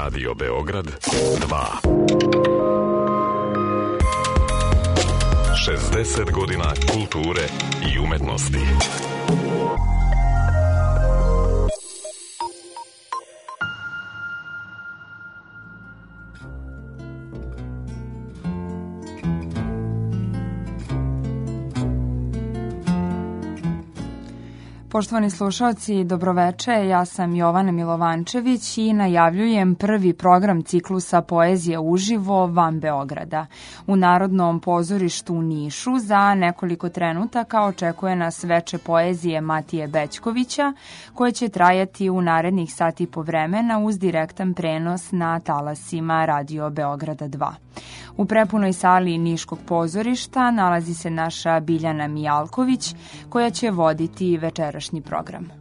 Radio Beograd 2. 60 godina kulture i umetnosti. Poštovani slušalci, dobroveče, ja sam Jovana Milovančević i najavljujem prvi program ciklusa Poezije uživo van Beograda. U Narodnom pozorištu u Nišu za nekoliko trenutaka očekuje nas veče poezije Matije Bećkovića, koje će trajati u narednih sat i po vremena uz direktan prenos na talasima Radio Beograda 2. U prepunoj sali Niškog pozorišta nalazi se naša Biljana Mijalković, koja će voditi večerašnji program.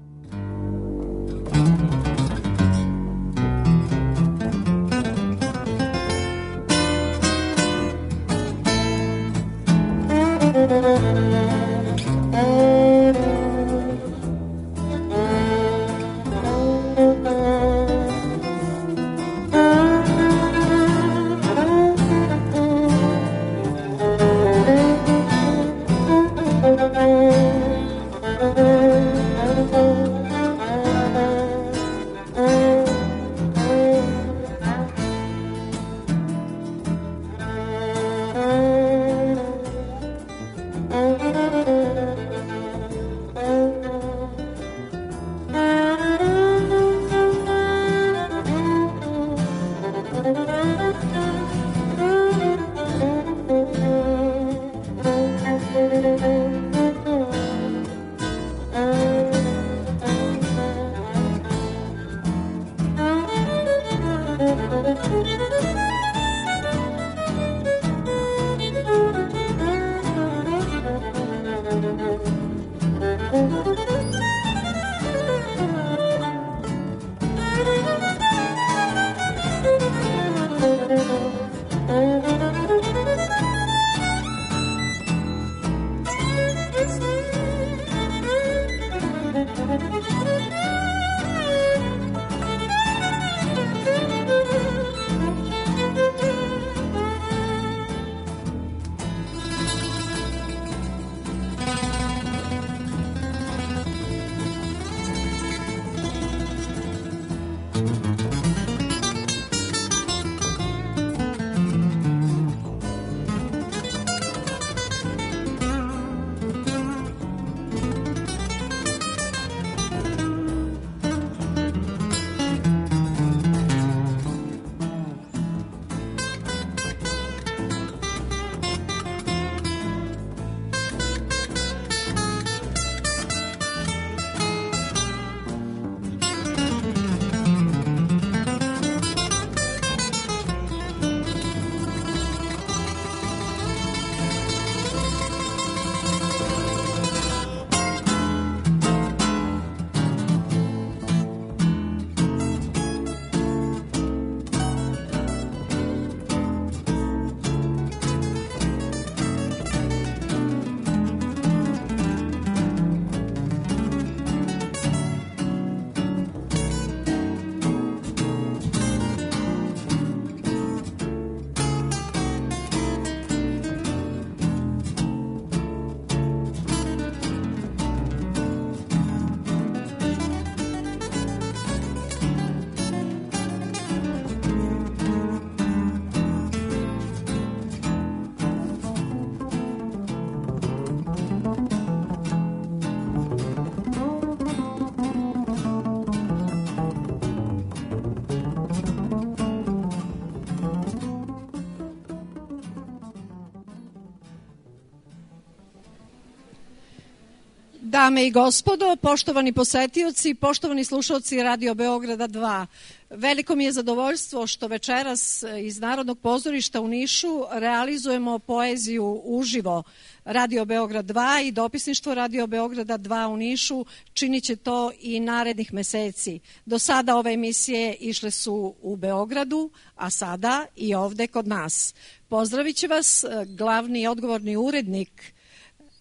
Dame i gospodo, poštovani posetioci, poštovani slušalci Radio Beograda 2. Veliko mi je zadovoljstvo što večeras iz Narodnog pozorišta u Nišu realizujemo poeziju uživo. Radio Beograd 2 i dopisništvo Radio Beograda 2 u Nišu činit će to i narednih meseci. Do sada ove emisije išle su u Beogradu, a sada i ovde kod nas. Pozdravit će vas glavni i odgovorni urednik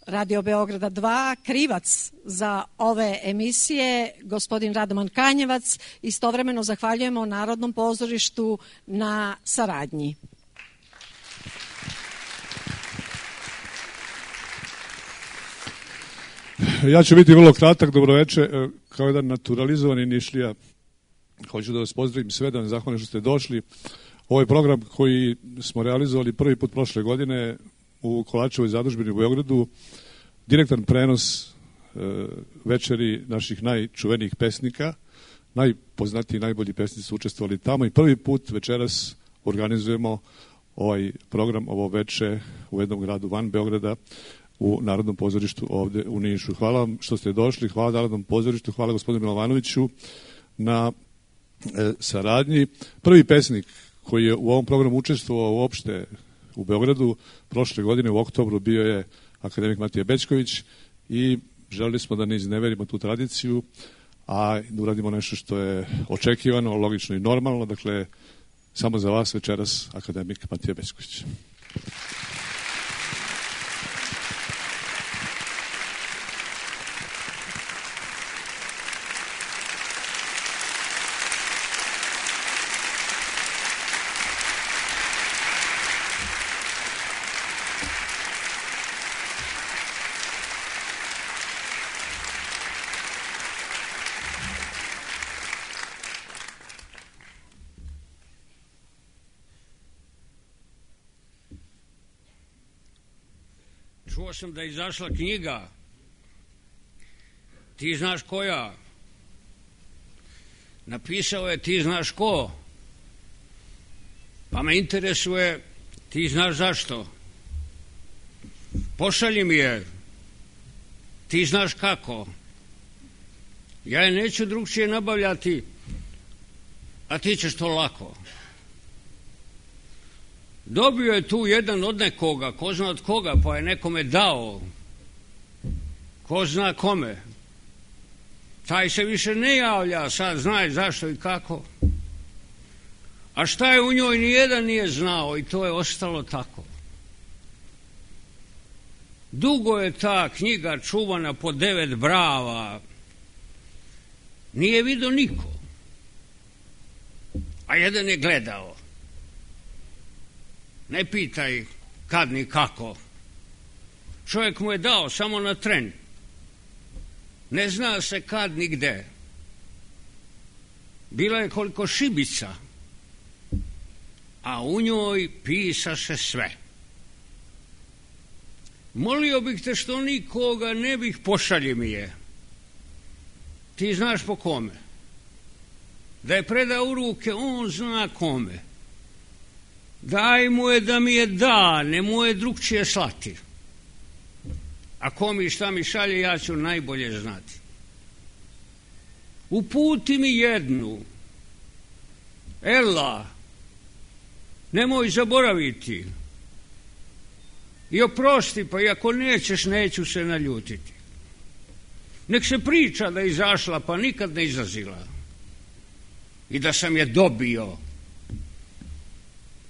Radio Beograda 2, krivac za ove emisije, gospodin Radoman Kanjevac. Istovremeno zahvaljujemo Narodnom pozorištu na saradnji. Ja ću biti vrlo kratak, dobroveče, kao jedan naturalizovani Nišlija. Hoću da vas pozdravim sve, da vam zahvalim što ste došli. Ovo je program koji smo realizovali prvi put prošle godine u Kovačevoj zadužbini u Beogradu. Direktan prenos večeri naših najčuvenijih pesnika, najpoznatiji, najbolji pesnici su učestvovali tamo i prvi put večeras organizujemo ovaj program, ovo veče u jednom gradu van Beograda, u Narodnom pozorištu ovde u Nišu. Hvala vam što ste došli, hvala Narodnom pozorištu, hvala gospodinu Milovanoviću na saradnji. Prvi pesnik koji je u ovom programu učestvovao uopšte u Beogradu prošle godine u oktobru bio je akademik Matija Bećković i želeli smo da ne izneverimo tu tradiciju, a da uradimo nešto što je očekivano, logično i normalno. Dakle, samo za vas večeras akademik Matija Bećković. Čuo sam da je izašla knjiga, ti znaš koja, napisao je ti znaš ko, pa me interesuje ti znaš zašto, pošalji mi je, ti znaš kako, ja je neću drugčije nabavljati, a ti ćeš to lako. Dobio je tu jedan od nekoga, ko zna od koga, pa je nekome dao, ko zna kome. Taj se više ne javlja, sad znaj zašto i kako. A šta je u njoj nijedan nije znao i to je ostalo tako. Dugo je ta knjiga čuvana po 9 brava, nije vidio niko, a jedan je gledao. Ne pitaj kad ni kako. Čovjek mu je dao samo na tren. Ne zna se kad ni gde. Bila je koliko šibica, a u njoj pisaše sve. Molio bih te što nikoga ne bih, pošalji mi je. Ti znaš po kome. Da je predao u ruke, on zna kome. Daj mu je da mi je da, ne mu je drugčije slati. A ko mi šta mi šalje, ja ću najbolje znati. Uputi mi jednu. Ela, nemoj zaboraviti. I oprosti, pa i ako nećeš, neću se naljutiti. Nek se priča da je izašla, pa nikad ne izlazila. I da sam je dobio,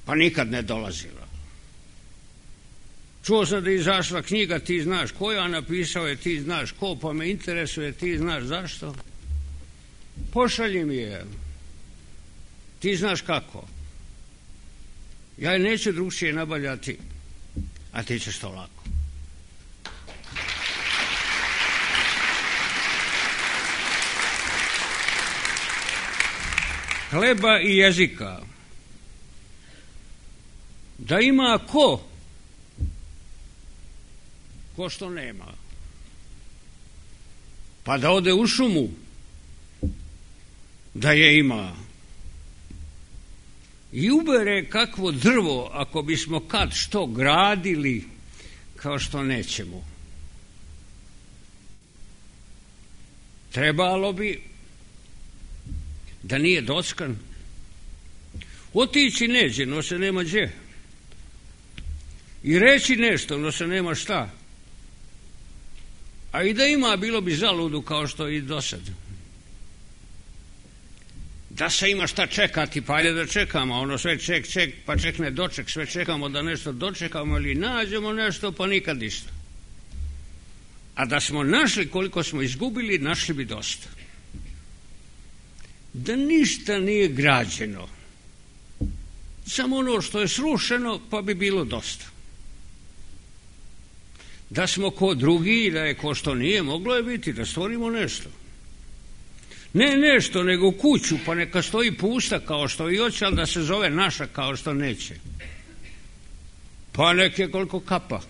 pa nikad ne dolazila. Čuo sam da je izašla knjiga, ti znaš koja, napisao je ti znaš ko, pa me interesuje ti znaš zašto. Pošalji mi je. Ti znaš kako. Ja je neću drugčije nabavljati, a ti ćeš to lako. Hleba i jezika. Da ima ko što nema, pa da ode u šumu, da je ima, i ubere kakvo drvo, ako bismo kad što gradili, kao što nećemo. Trebalo bi da nije dockan, otići neđe, no se nema gdje, i reći nešto, no se nema šta. A i da ima, bilo bi zaludu kao što i do sad. Da se ima šta čekati, pa ajde da čekamo, ono sve ček, pa ček ne doček, sve čekamo da nešto dočekamo ili nađemo nešto, pa nikad ništa. A da smo našli koliko smo izgubili, našli bi dosta. Da ništa nije građeno, samo ono što je srušeno, pa bi bilo dosta. Da smo ko drugi, da je ko što nije, moglo je biti da stvorimo nešto. Ne nešto, nego kuću, pa neka stoji pusta kao što i hoće, ali da se zove naša kao što neće. Pa neke koliko kapa.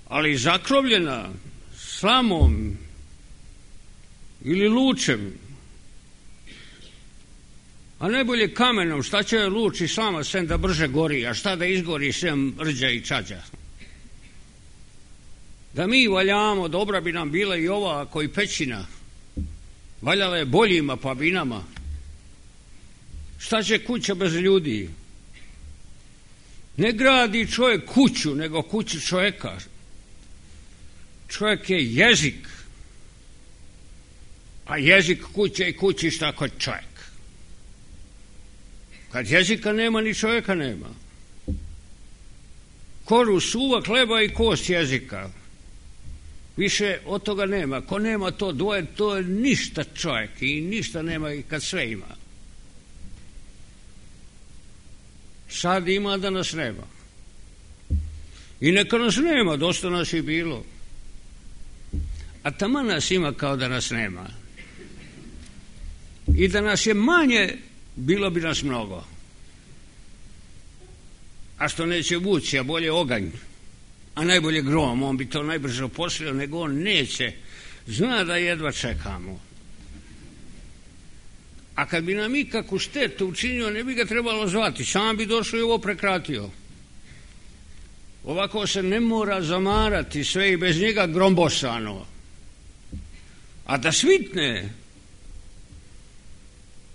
Ali zakrovljena slamom ili lučem, a najbolje kamenom. Šta će luč i slama sem da brže gori, a šta da izgori sem rđa i čađa? Da mi valjamo, dobra bi nam bila i ova koji pećina. Valjala je boljima pa bi nama. Šta će kuća bez ljudi? Ne gradi čovjek kuću, nego kuću čovjeka. Čovjek je jezik, a jezik kuće i kućišta kod čovjek. Kad jezika nema, ni čovjeka nema. Koru suva hleba i kost jezika. Više od toga nema. Ko nema to dvoje, to je ništa čovjek i ništa nema i kad sve ima. Sad ima da nas nema. I neka nas nema, dosta nas je bilo. A taman nas ima kao da nas nema. I da nas je manje, bilo bi nas mnogo. A što neće vući, a bolje oganj, a najbolje grom, on bi to najbrže oposlio, nego on neće. Zna da jedva čekamo. A kad bi nam ikakvu štetu učinio, ne bi ga trebalo zvati, sam bi došao i ovo prekratio. Ovako se ne mora zamarati, sve i bez njega grombosano. A da svitne,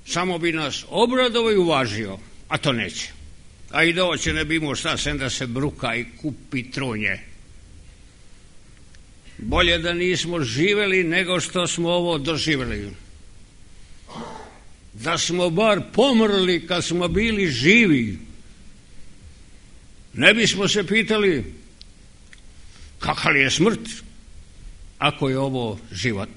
samo bi nas obradovao i uvažio, a to neće. A i da hoće ne bi imao šta, sem da se bruka i kupi trunje. Bolje da nismo živeli nego što smo ovo doživjeli. Da smo bar pomrli kad smo bili živi, ne bismo se pitali kakav je smrt ako je ovo život.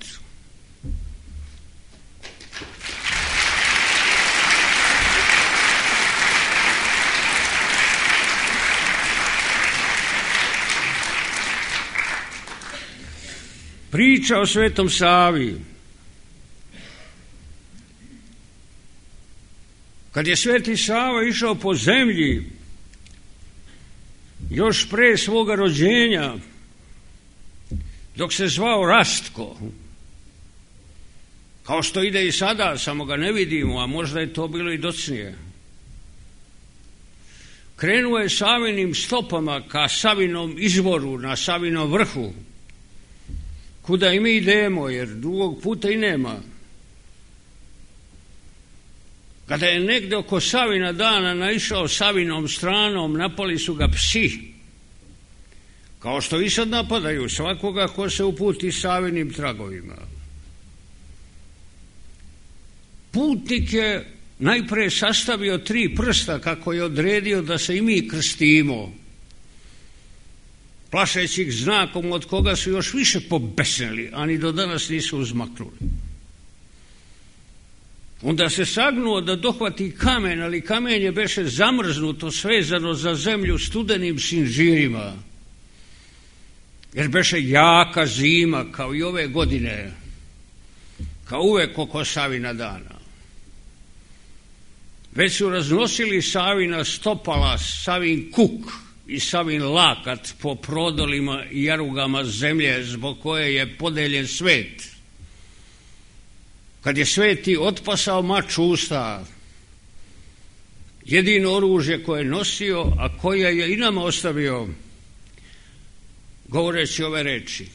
Priča o Svetom Savi. Kad je Sveti Sava išao po zemlji, još pre svoga rođenja, dok se zvao Rastko, kao što ide i sada, samo ga ne vidimo, a možda je to bilo i docnije. Krenuo je Savinim stopama ka Savinom izvoru na Savinom vrhu, kuda i mi idemo, jer drugog puta i nema. Kada je negde oko Savina dana naišao Savinom stranom, napali su ga psi, kao što i sad napadaju svakoga ko se uputi Savinim tragovima. Putnik je najpre sastavio 3 prsta kako je odredio da se i mi krstimo, plašeći ih znakom od koga su još više pobesnili, a ni do danas nisu uzmaknuli. Onda se sagnuo da dohvati kamen, ali kamenje beše zamrznuto, svezano za zemlju studenim sinžirima, jer beše jaka zima, kao i ove godine, kao uvek oko Savina dana. Već su raznosili Savina stopala, Savin kuk i Savin lakat po prodolima i jarugama zemlje zbog koje je podeljen svet. Kad je Sveti otpasao mač usta, jedino oružje koje je nosio, a koje je i nama ostavio, govoreći ove reči: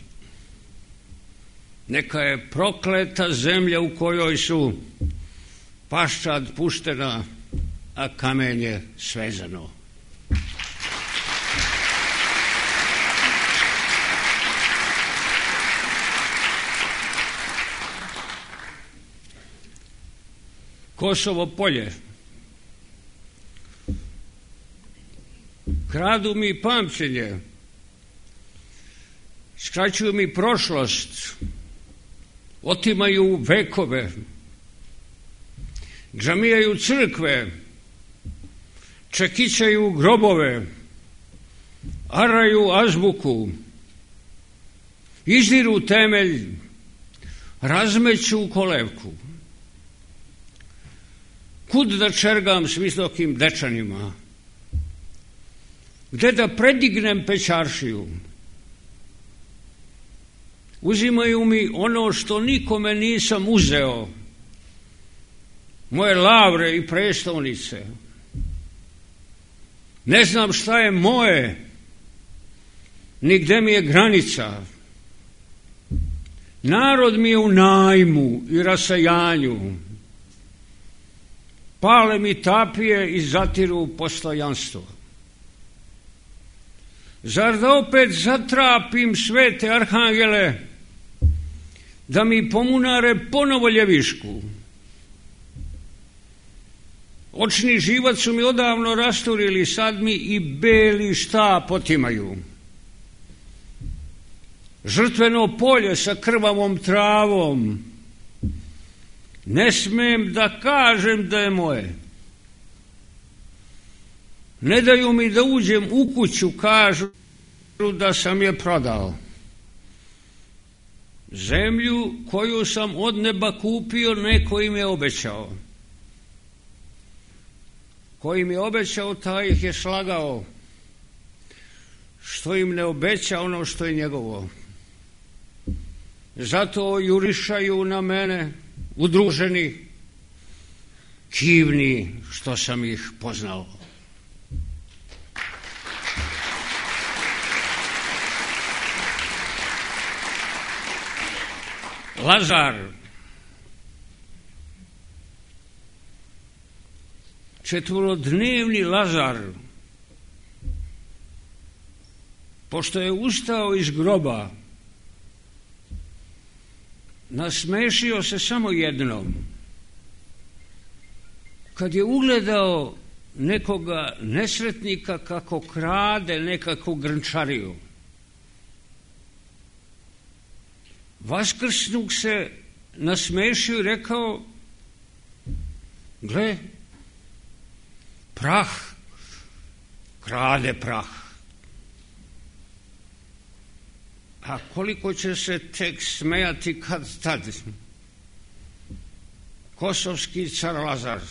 neka je prokleta zemlja u kojoj su paščad puštena, a kamenje svezano. Kosovo polje. Kradu mi pamćenje. skraćuju mi prošlost, otimaju vekove, džamijaju crkve, čekićaju grobove, araju azbuku, izdiru temelj, razmeću kolevku. Kud da čergam s visokim dečanima? Gde da predignem pećaršiju? Uzimaju mi ono što nikome nisam uzeo, moje lavre i prestolnice. Ne znam šta je moje, ni gde mi je granica. Narod mi je u najmu i rasajanju. Pale mi tapije i zatiru postojanstvo. Zar da opet zatrapim svete arhangele, da mi pomunare ponovo ljevišku? Očni živac su mi odavno rasturili, sad mi i beli štap otimaju. Žrtveno polje sa krvavom travom, ne smem da kažem da je moje. Ne daju mi da uđem u kuću, kažu da sam je prodao. Zemlju koju sam od neba kupio, neko im je obećao. Koji mi je obećao, taj ih je slagao. Što im ne obeća ono što je njegovo. Zato jurišaju na mene udruženi, kivni što sam ih poznao. Lazar, četvorodnevni Lazar, pošto je ustao iz groba, nasmešio se samo jednom. Kad je ugledao nekoga nesretnika kako krade nekakvu grnčariju, vaskrsnuk se nasmešio i rekao: gle, prah, krade prah. A koliko će se tek smejati kad tad kosovski car Lazar,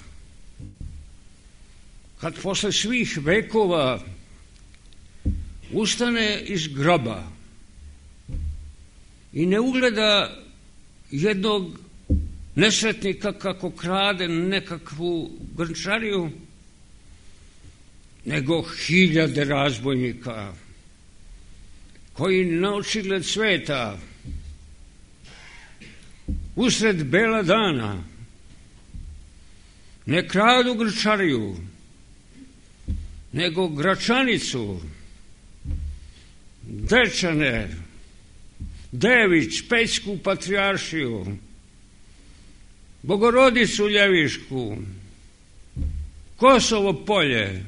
kad posle svih vekova ustane iz groba i ne ugleda jednog nesretnika kako krade nekakvu grnčariju, nego hiljade razbojnika koji na očigled sveta usred bela dana ne kradu grnčariju, nego Gračanicu, Dečane, Dević, Pećku patrijaršiju, Bogorodicu Ljevišku, Kosovo polje,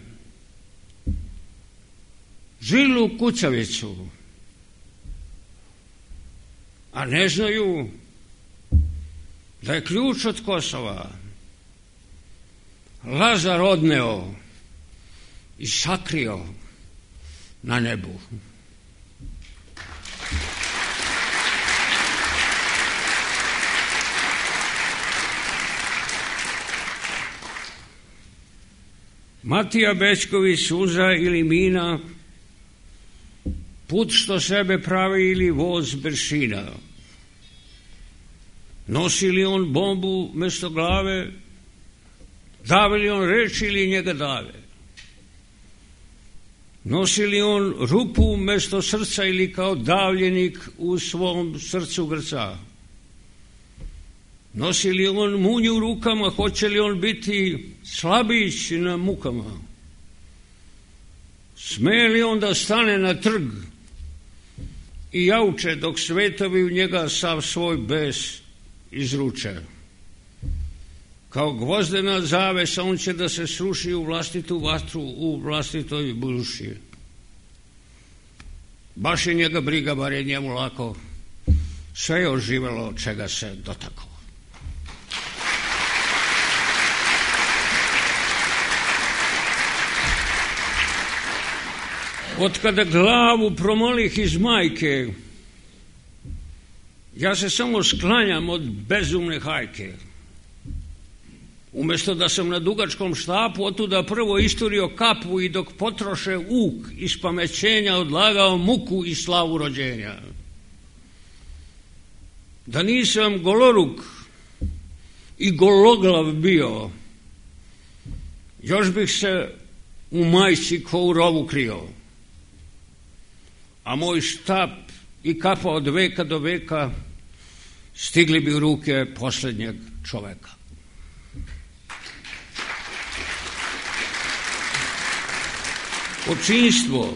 Žilu Kucavicu, a ne znaju da je ključ od Kosova Lazar odneo i sakrio na nebu. Matija Bećković, suza ili mina, put što sebe pravi ili voz bršina. Nosi li on bombu mesto glave, davi li on reč ili njega dave? Nosi li on rupu mesto srca ili kao davljenik u svom srcu grca? Nosi li on munju u rukama, hoće li on biti slabić na mukama? Sme li on da stane na trg i jauče dok svetovi u njega sav svoj bes izruče? Kao gvozdena zavesa on će da se sruši u vlastitu vatru, u vlastitoj budući. Baš je njega briga, bar je njemu lako. Sve je oživelo od čega se dotakao. Od kada glavu promolih iz majke, ja se samo sklanjam od bezumne hajke. Umjesto da sam na dugačkom štapu otuda prvo isturio kapu i dok potroše uk iz pamećenja odlagao muku i slavu rođenja. Da nisam goloruk i gologlav bio, još bih se u majci ko u rovu krio. A moj štap i kapa od veka do veka stigli bi u ruke posljednjeg čoveka. Očinstvo.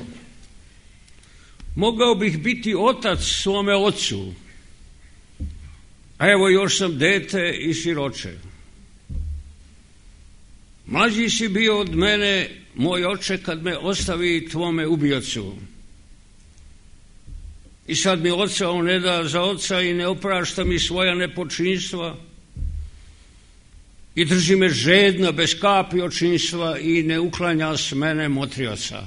Mogao bih biti otac svome ocu, a evo još sam dete i siroče. Mlađi si bio od mene, moj oče, kad me ostavi tvome ubiocu. I sad mi oca on ne da za oca i ne oprašta mi svoja nepočinstva i drži me žedna bez kapi očinstva i ne uklanja s mene motrioca.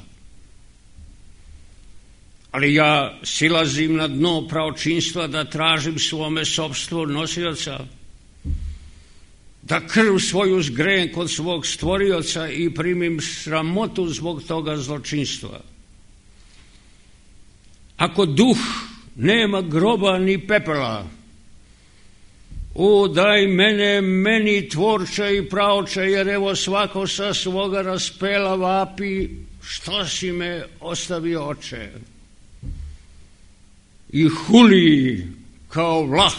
Ali ja silazim na dno praočinstva da tražim svome sopstvo nosioca, da krv svoju zgrejem kod svog stvorioca i primim sramotu zbog toga zločinstva. Ako duh nema groba ni pepela, o daj mene, meni tvorče i praoče, jer evo svako sa svoga raspela vapi, što si me ostavio oče? I huli kao vlah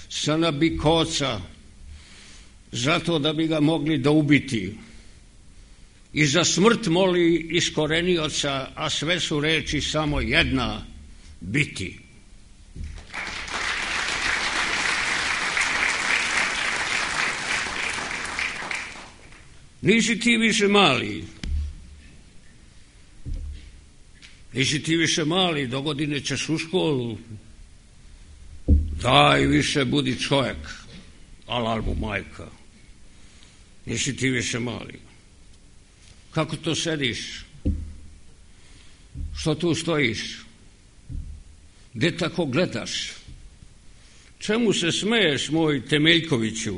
sa nabikoca, zato da bi ga mogli da ubiti. I za smrt moli iskorenioca, a sve su reči samo jedna, biti. Nisi ti više mali. Nisi ti više mali, dogodine ćeš u školu. Daj više, budi čovjek, alal mu majka. Nisi ti više mali. Kako to sediš? Što tu stojiš? Gde tako gledaš? Čemu se smeješ, moj Temeljkoviću?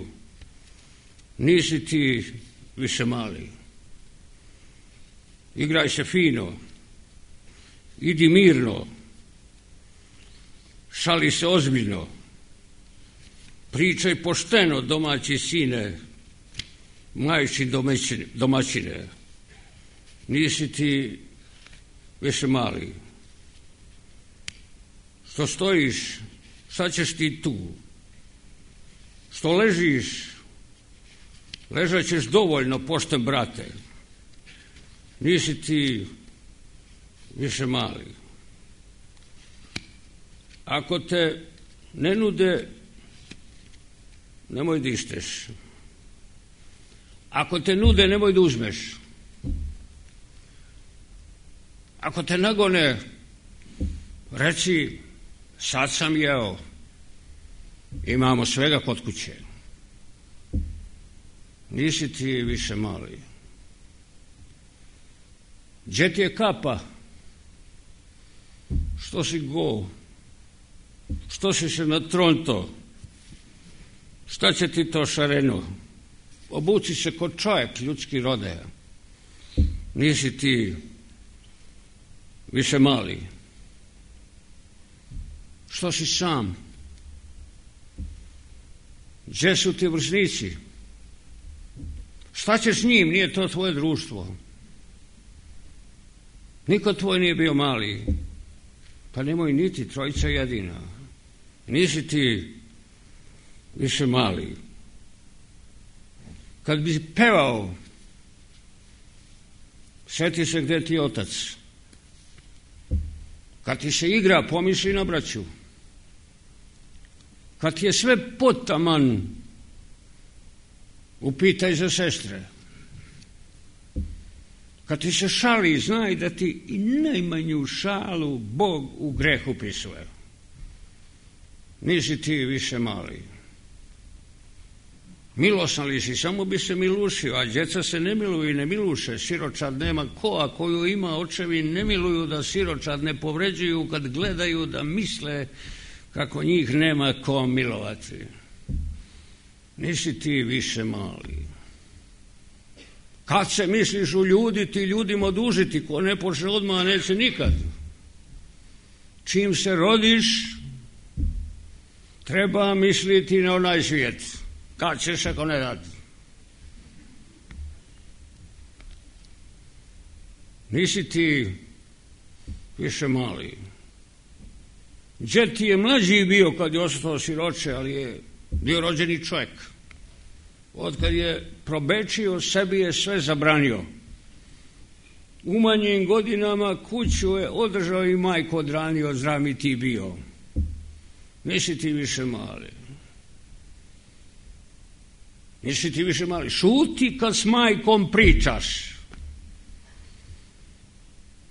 Nisi ti više mali. Igraj se fino. Idi mirno. Šali se ozbiljno. Pričaj pošteno, domaći sine, majči domaćine. Nisi ti više mali. Što stojiš, šta ćeš ti tu? Što ležiš, ležat ćeš dovoljno, pošten brate. Nisi ti više mali. Ako te ne nude, nemoj da išteš. Ako te nude, nemoj da uzmeš. Ako te nagone, reci, sad sam jeo, imamo svega kod kuće. Nisi ti više mali. Gdje ti je kapa? Što si go? Što si se natronto? Šta će ti to šareno? Obuci se kod čovjek ljudski rode. Nisi ti više mali. Što si sam? Gdje su ti vršnici? Šta ćeš s njim? Nije to tvoje društvo. Niko tvoj nije bio mali. Pa nemoj niti, trojica jedina. Nisi ti više mali. Kad bi pevao, sjeti se gde ti je otac. Kad ti se igra, pomisli na braću. Kad ti je sve potaman, upitaj za sestre. Kad ti se šali, znaj da ti i najmanju šalu Bog u greh upisuje. Nisi ti više mali. Milosan li si, samo bi se milušio, a djeca se ne miluju i ne miluše. Siročad nema ko, a koju ima očevi ne miluju da siročad ne povređuju kad gledaju da misle kako njih nema ko milovati. Nisi ti više mali. Kad se misliš uljuditi, ljudima odužiti, ko ne počne odmah, neće nikad. Čim se rodiš, treba misliti na onaj svijet. Kad ćeš ako ne dati? Nisi ti više mali. Đed ti je mlađi bio kad je ostao siroče, ali je bio rođeni čovjek. Od kad je probečio, sebi je sve zabranio. U manjim godinama kuću je održao i majku odranio, zdrav mi ti bio. Nisi ti više mali. Nisi ti više mali. Šuti kad s majkom pričaš.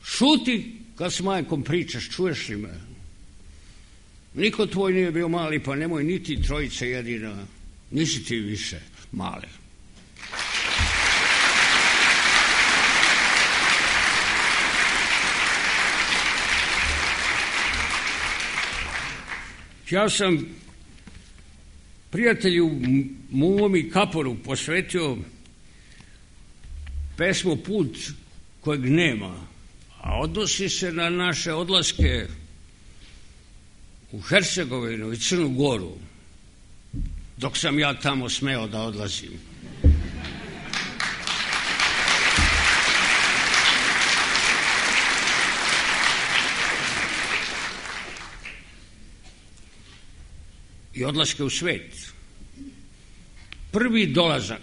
Šuti kad s majkom pričaš, čuješ li me? Niko tvoj nije bio mali, pa nemoj niti trojice jedina. Nisi ti više mali. Ja sam prijatelju Momi Kaporu posvetio pesmu Put kojeg nema, a odnosi se na naše odlaske u Hercegovinu i Crnu Goru, dok sam ja tamo smeo da odlazim. I odlaske u svet. Prvi dolazak.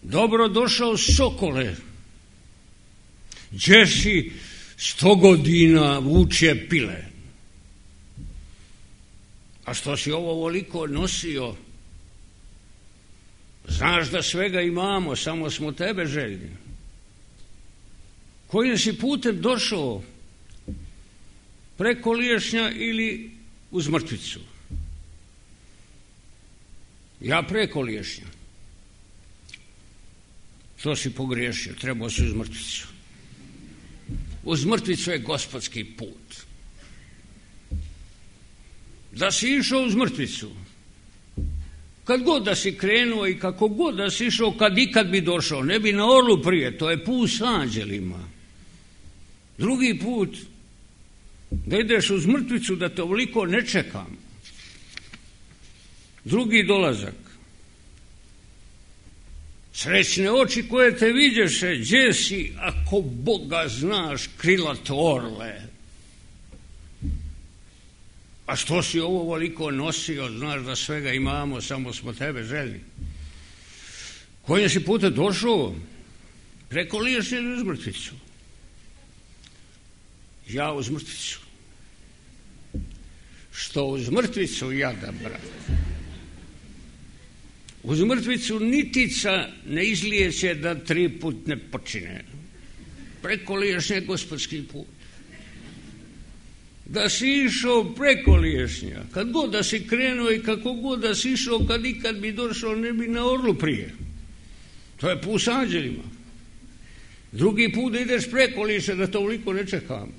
Dobro došao Sokole. Gdje si 100 godina vuče pile. A što si ovo ovoliko nosio? Znaš da svega imamo, samo smo tebe željni. Kojim si putem došao? Preko Liješnja ili uz Mrtvicu? Ja preko Liješnja. To si pogriješio, trebao si uz Mrtvicu. Uz Mrtvicu je gospodski put. Da si išao uz Mrtvicu, kad god da si krenuo i kako god da si išao, kad ikad bi došao, ne bi na orlu prije, to je put s anđelima. Drugi put, da ideš uz Mrtvicu, da te ovoliko ne čekam. Drugi dolazak. Srećne oči koje te vidješe, gdje si, ako Boga znaš, krilat orle. A što si ovo ovoliko nosio, znaš da svega imamo, samo smo tebe željni. Kojim si putem došao? Preko Liješnja ili uz Mrtvicu? Ja uz Mrtvicu. Što uz Mrtvicu jada, brat. Uz Mrtvicu nitica ne izlijeće da 3 put ne počine. Preko Liješnja je gospodski put. Da si išao preko Liješnja, kad god da si krenuo i kako god da si išao, kad ikad bi došao, ne bi na orlu prije. To je put s anđelima. Drugi put da ideš preko Liješnja, da to uliko ne čekam.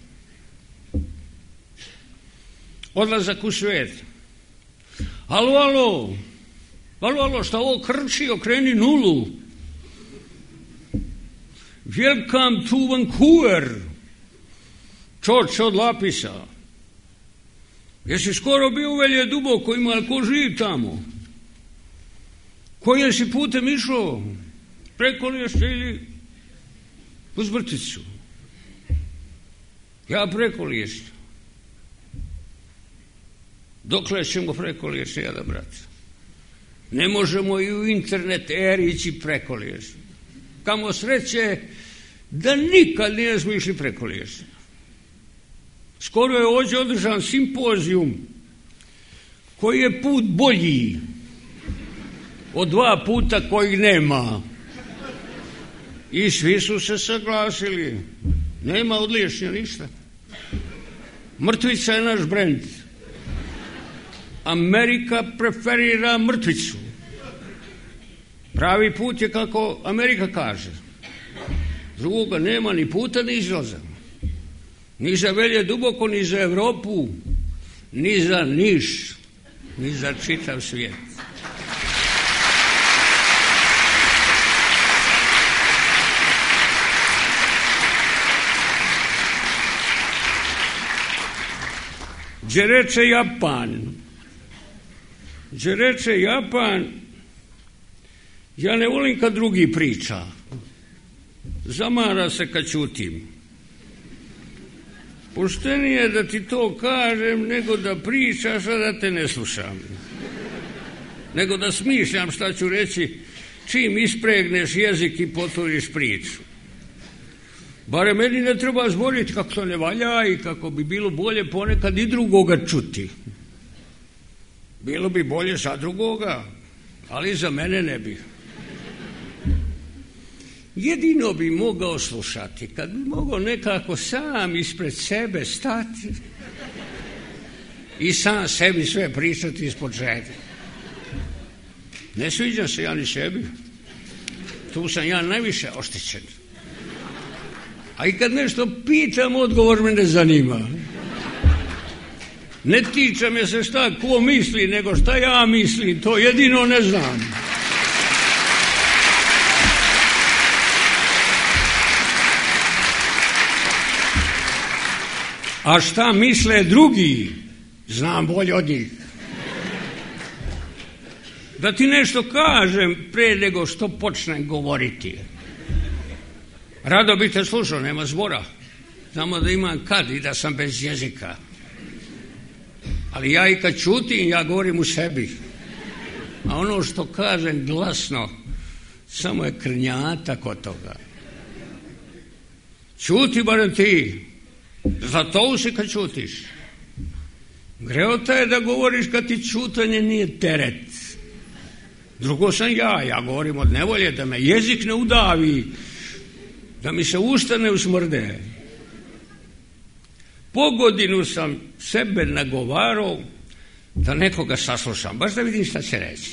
Odlazak u svijet. Alo, šta ovo krči, okreni nulu. Welcome to Vancouver. Čoč od Lapisa. Jesi skoro bio u Velje Duboko, ima ko živ tamo? Kojim si putem išao? Preko Liješnja ili uz Mrtvicu? Ja preko Liješnja. Dokle ćemo preko Liješnja, jada, brate? Ne možemo i u internet eri ići preko Liješnja. Kamo sreće da nikad nismo išli preko Liješnja. Skoro je ovdje održan simpozijum koji je put bolji od 2 puta kojih nema. I svi su se saglasili. Nema odliješnja ništa. Mrtvica je naš brend. Amerika preferira mrtvicu. Pravi put je kako Amerika kaže. Drugoga nema ni puta ni izlaza. Ni za Velje duboko, ni za Evropu, ni za Niš, ni za čitav svijet. Gdje reče Japan, ja ne volim kad drugi priča. Zamara se kad ćutim. Poštenije da ti to kažem nego da pričaš, a da te ne slušam. Nego da smišljam šta ću reći čim ispregneš jezik i potvoriš priču. Bare meni ne treba zboriti kako to ne valja i kako bi bilo bolje ponekad i drugoga čuti. Bilo bi bolje za drugoga, ali za mene ne bi. Jedino bi mogao slušati kad bi mogao nekako sam ispred sebe stati i sam sebi sve pričati ispod žede. Ne sviđam se ja ni sebi. Tu sam ja najviše oštećen. A i kad nešto pitam, odgovor me ne zanima. Ne tiče me se šta ko misli, nego šta ja mislim, to jedino ne znam. A šta misle drugi, znam bolje od njih. Da ti nešto kažem pre nego što počnem govoriti. Rado bi te slušao, nema zbora. Znamo da imam kad i da sam bez jezika. Ali ja i kad čutim, ja govorim u sebi. A ono što kažem glasno, samo je krnjata kod toga. Čuti barem ti. Zato si kad čutiš. Greota je da govoriš kad ti čutanje nije teret. Drugo sam ja govorim od nevolje, da me jezik ne udavi, da mi se usta ne usmrde. Po godinu sam sebe nagovarao da nekoga saslušam, baš da vidim šta će reći.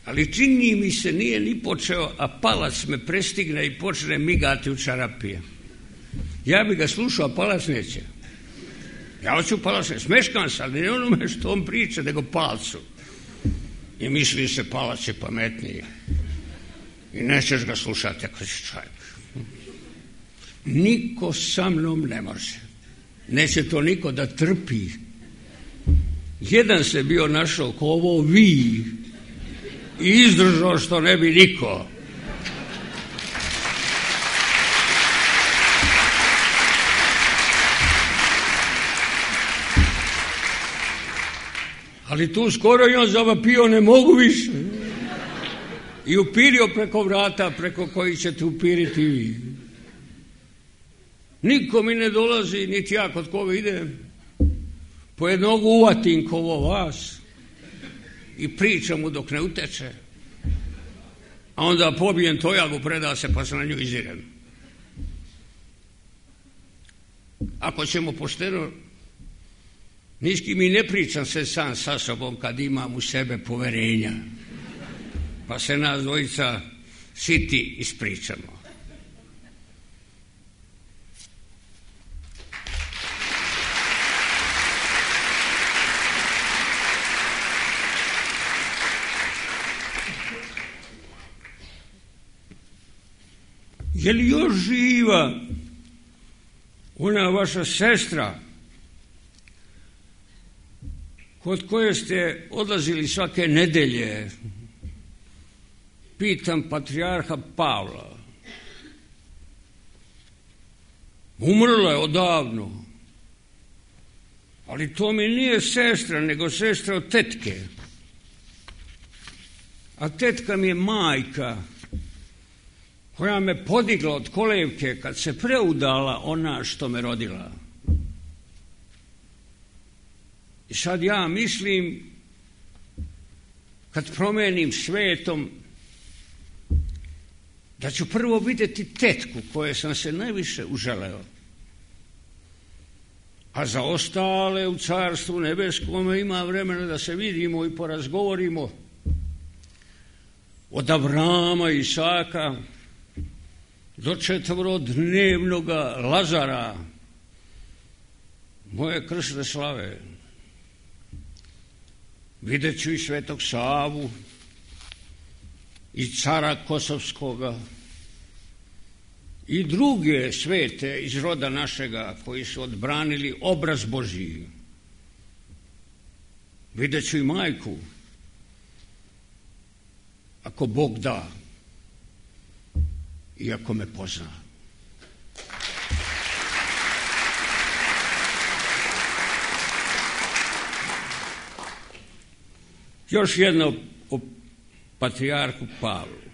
Ali čini mi se nije ni počeo, a palac me prestigne i počne migati u čarapije. Ja bi ga slušao, a palac neće. Ja hoću palac, smeškam se, ali ne onome što on priča, nego palcu. I misli se palac je pametniji. I nećeš ga slušati ako si čovjek. Niko sa mnom ne može. Neće to niko da trpi. Jedan se bio našao ko ovo vi i izdržao što ne bi niko. Ali tu skoro i on zavapio, ne mogu više. I upirio preko vrata preko kojih ćete upiriti vi. Niko mi ne dolazi, niti ja kod koga idem. Po jednog uvatim kovo vas i pričam mu dok ne uteče. A onda pobijem tojagu, preda se pa se na nju izirem. Ako ćemo pošteno, niški mi ne pričam se sam sa sobom kad imam u sebe poverenja. Pa se nas dvojica siti ispričamo. Je li još živa ona vaša sestra kod koje ste odlazili svake nedelje? Pitam patrijarha Pavla. Umrla je odavno. Ali to mi nije sestra, nego sestra od tetke. A tetka mi je majka koja me podigla od kolevke kad se preudala ona što me rodila. I sad ja mislim, kad promenim svetom, da ću prvo vidjeti tetku koje sam se najviše uželeo, a za ostale u Carstvu nebeskome ima vremena da se vidimo i porazgovorimo, od Avrama i Isaka do 4-dnevnoga Lazara, moje krsne slave. Vidjet ću i Svetog Savu i cara Kosovskoga i druge svete iz roda našega koji su odbranili obraz Božiji. Vidjet ću i majku, ako Bog da i ako me pozna. Još jedno o patrijarhu Pavlu.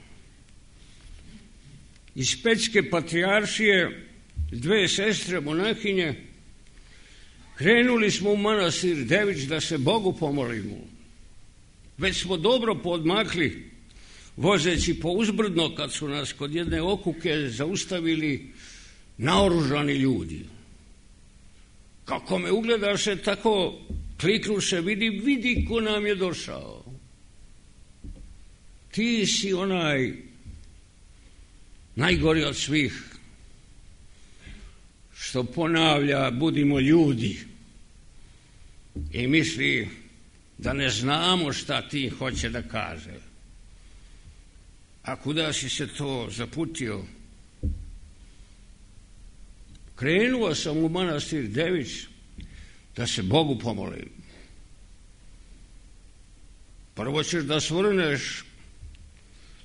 Iz Pećke patrijaršije 2 sestre monahinje krenuli smo u manastir Dević da se Bogu pomolimo. Već smo dobro podmakli vozeći po uzbrdno kad su nas kod jedne okuke zaustavili naoružani ljudi. Kako me ugledaše, tako kliknuše, vidi ko nam je došao. Ti si onaj najgori od svih, što ponavlja budimo ljudi i misli da ne znamo šta ti hoće da kaže. A kuda si se to zaputio? Krenuo sam u manastir Dević da se Bogu pomolim. Prvo ćeš da svrneš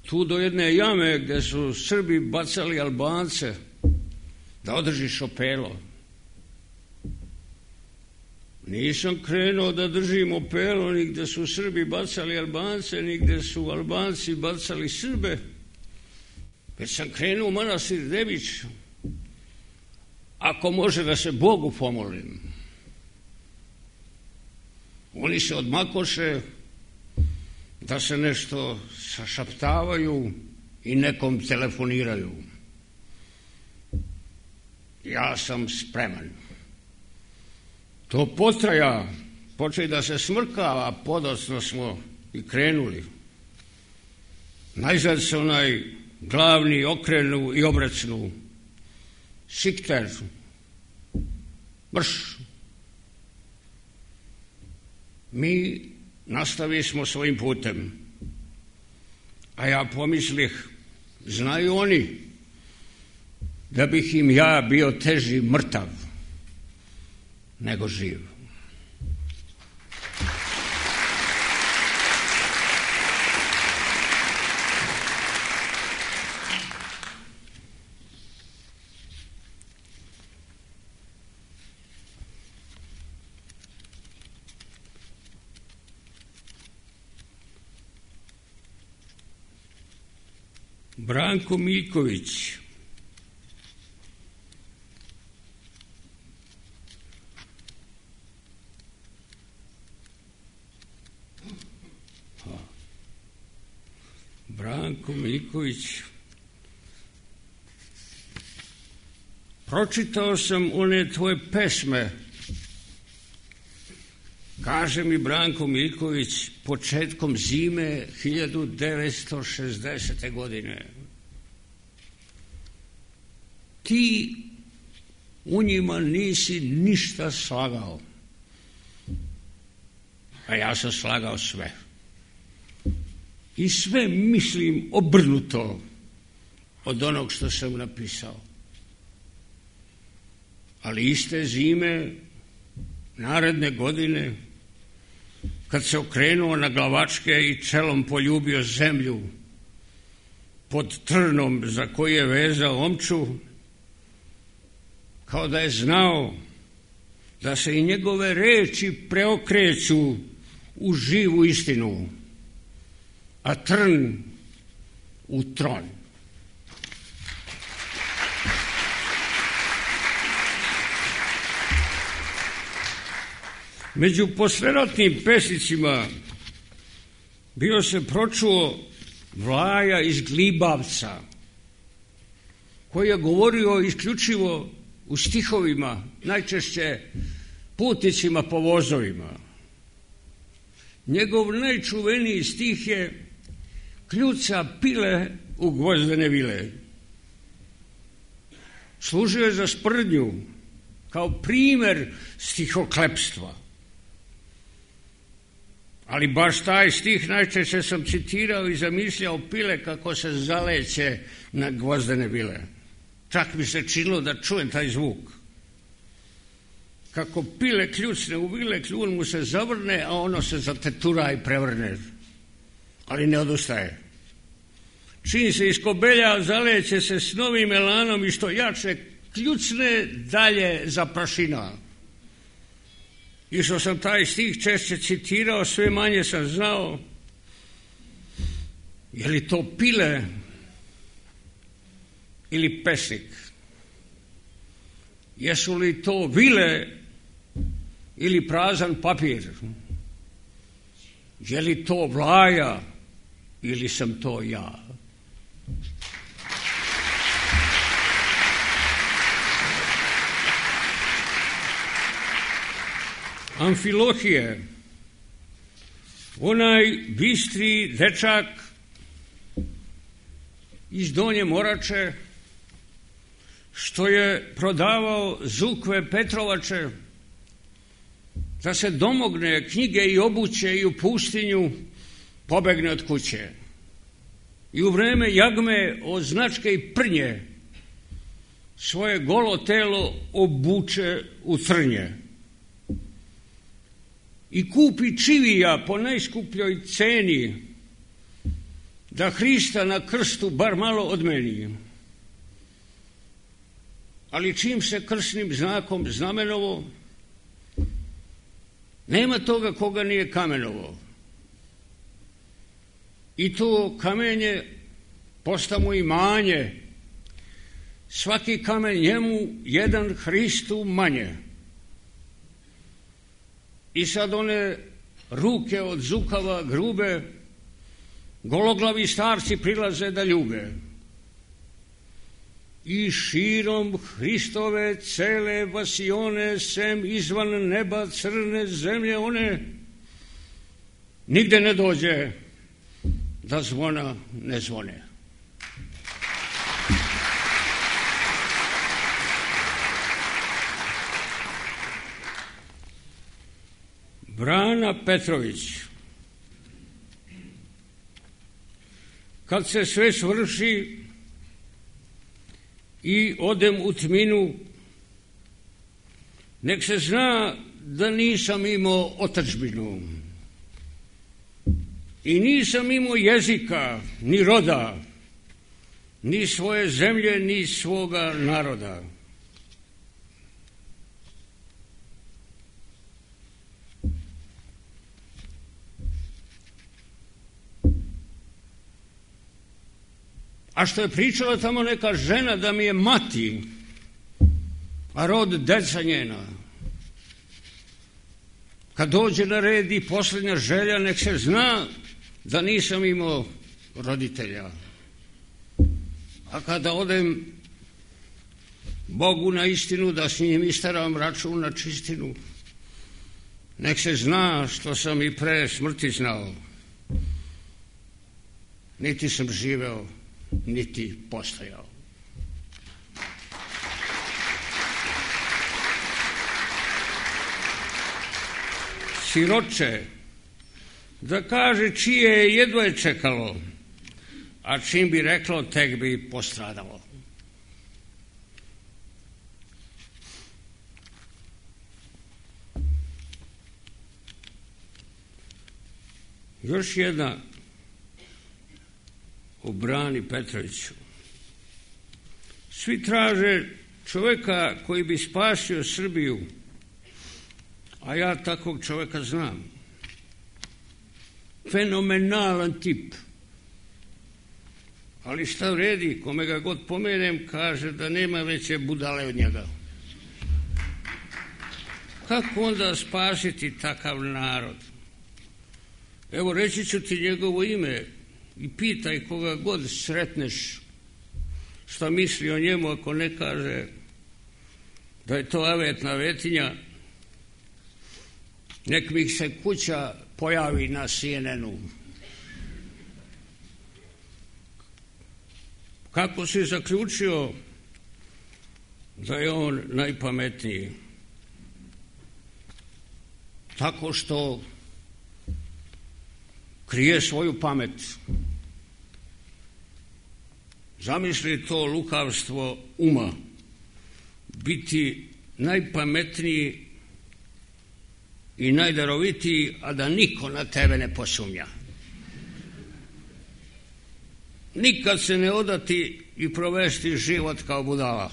tu do jedne jame gde su Srbi bacali Albance, da održiš opelo. Nisam krenuo da držim opelo ni gde su Srbi bacali Albance, ni gde su Albanci bacali Srbe, već sam krenuo u manastir Dević, ako može da se Bogu pomolim. Oni se odmakoše da se nešto sašaptavaju i nekom telefoniraju. Ja sam spreman. To potraja, počeli da se smrkava, podocno smo i krenuli. Najzad se onaj glavni okrenu i obrecnu. Sikter, brš. Mi nastavili smo svojim putem, a ja pomislih, znaju oni da bih im ja bio teži mrtav nego živ. Branko Miljković. Branko Miljković. Pročitao sam one tvoje pesme. Kaže mi Branko Miljković početkom zime 1960. godine. Ti u njima nisi ništa slagao, a ja sam slagao sve. I sve mislim obrnuto od onog što sam napisao. Ali iste zime, naredne godine, kad se okrenuo na glavačke i čelom poljubio zemlju pod trnom za koji je vezao omču, kao da je znao da se i njegove reči preokreću u živu istinu, a trn u tron. Među posleratnim pesnicima bio se pročuo Vlaja iz Glibavca, koji je govorio isključivo u stihovima, najčešće putnicima po vozovima. Njegov najčuveniji stih je kljuca pile u gvozdene vile. Služio je za sprdnju kao primer stihoklepstva. Ali baš taj stih najčešće sam citirao i zamišljao pile kako se zaleće na gvozdene vile. Čak mi se činilo da čujem taj zvuk. Kako pile kljucne u vile, kljun mu se zavrne, a ono se zatetura i prevrne. Ali ne odustaje. Čim se iskobelja, zaleće se s novim elanom i što jače kljucne, dalje zaprašina. I što sam taj stih češće citirao, sve manje sam znao je li to pile ili pesnik. Jesu li to vile ili prazan papir? Je li to vlaja ili sam to ja? Amfilohije, onaj bistri dečak iz Donje Morače, što je prodavao zukve Petrovače, da se domogne knjige i obuće i u pustinju pobegne od kuće. I u vreme jagme od značke i prnje svoje golo telo obuče u trnje. I kupi čivija po najskupljoj ceni, da Hrista na krstu bar malo odmeni. Ali čim se krsnim znakom znamenovo, nema toga koga nije kamenovo. I to kamenje posta mu imanje, svaki kamen njemu, jedan Hristu manje. I sad one ruke od zukava grube, gologlavi starci prilaze da ljube. I širom Hristove cele vasione, sem izvan neba crne zemlje one, nigde ne dođe da zvona ne zvone. Brana Petrović. Kad se sve svrši i odem u tminu, nek se zna da nisam imao otadžbinu i nisam imao jezika, ni roda, ni svoje zemlje, ni svoga naroda. A što je pričala tamo neka žena da mi je mati, a rod deca njena. Kad dođe na red i posljednja želja, nek se zna da nisam imao roditelja. A kada odem Bogu na istinu, da s njim istaram račun na čistinu, nek se zna što sam i pre smrti znao. Niti sam živeo, niti postojao. Siroče, da kaže čije je jedva je čekalo, a čim bi reklo, tek bi postradalo. Još jedna o Brani Petroviću. Svi traže čovjeka koji bi spasio Srbiju, a ja takvog čovjeka znam. Fenomenalan tip. Ali šta vredi, kome ga god pomenem, kaže da nema veće budale od njega. Kako onda spasiti takav narod? Evo, reći ću ti njegovo ime i pitaj koga god sretneš šta misli o njemu ako ne kaže da je to avetna vetinja. Nek mi se kuća pojavi na CNN-u. Kako si zaključio da je on najpametniji? Tako što krije svoju pamet. Zamisli to lukavstvo uma, biti najpametniji i najdarovitiji, a da niko na tebe ne posumnja. Nikad se ne odati i provesti život kao budala.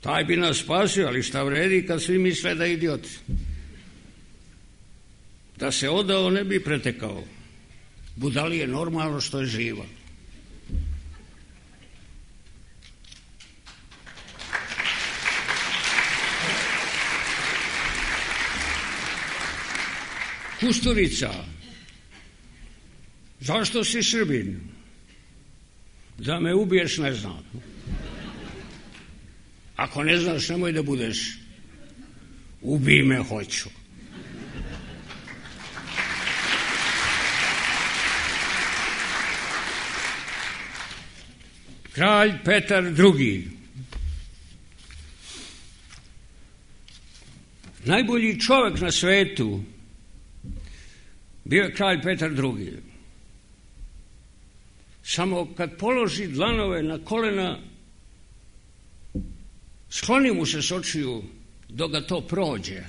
Taj bi nas spasio, ali šta vredi kad svi misle da je idiot. Da se odao ne bi pretekao. Budali je normalno što je živa. Kusturica, zašto si Srbin? Da me ubiješ, ne znam. Ako ne znaš, nemoj da budeš. Ubij me, hoću. Kralj Petar II. Najbolji čovjek na svetu bio je kralj Petar II. Samo kad položi dlanove na kolena, skloni mu se s očiju dok ga to prođe,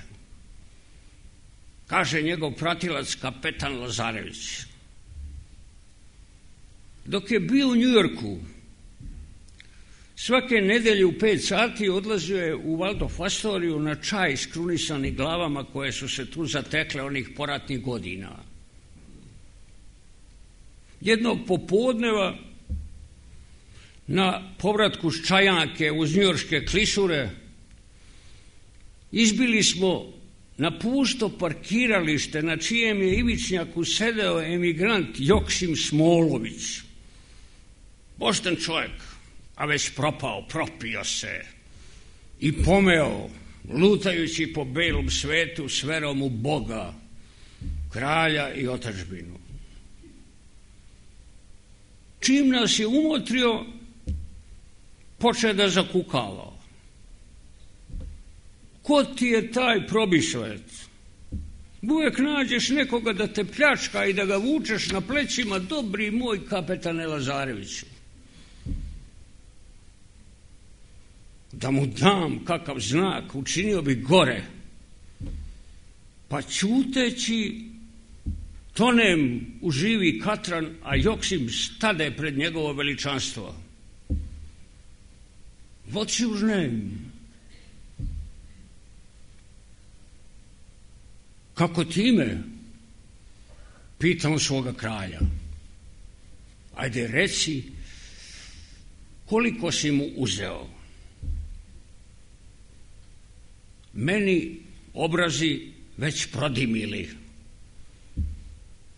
kaže njegov pratilac kapetan Lazarević. Dok je bio u Njujorku, svake nedelje u 5 sati odlazio je u Waldorf Astoriju na čaj s krunisanim glavama koje su se tu zatekle onih poratnih godina. Jednog popodneva na povratku s Čajanke uz njujorške klisure izbili smo na pusto parkiralište na čijem je ivičnjaku sedeo emigrant Joksim Smolović. Pošten čovjek, a već propao, propio se i pomeo, lutajući po belom svetu s verom u Boga, kralja i otadžbinu. Čim nas je umotrio, počeo da zakukava. Ko ti je taj probišvec? Uvijek nađeš nekoga da te pljačka i da ga vučeš na plećima, dobri moj kapetane Lazareviću. Da mu dam kakav znak, učinio bi gore. Pa ćuteći tonem u živi katran, a Joksim stade pred njegovo veličanstvo. What's your name? Kako ti ime? Pitam svoga kralja. Ajde reci koliko si mu uzeo. Meni obrazi već prodimili.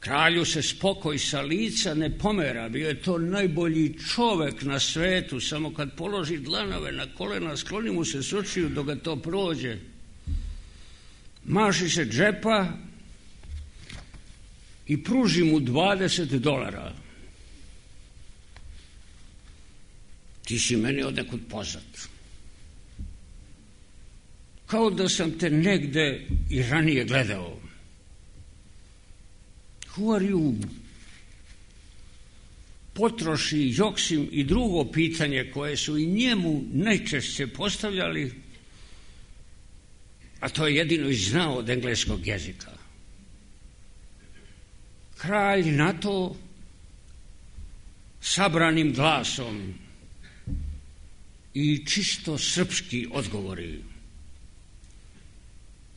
Kralju se spokoj sa lica ne pomera, bio je to najbolji čovek na svetu, samo kad položi dlanove na kolena, skloni mu se s očiju dok ga to prođe. Maši se džepa i pruži mu $20. Ti si meni odnekud poznat. Kao da sam te negde i ranije gledao. Who are you? Potroši Joksim i drugo pitanje koje su i njemu najčešće postavljali, a to je jedino i znao od engleskog jezika. Kralj na to sabranim glasom i čisto srpski odgovori.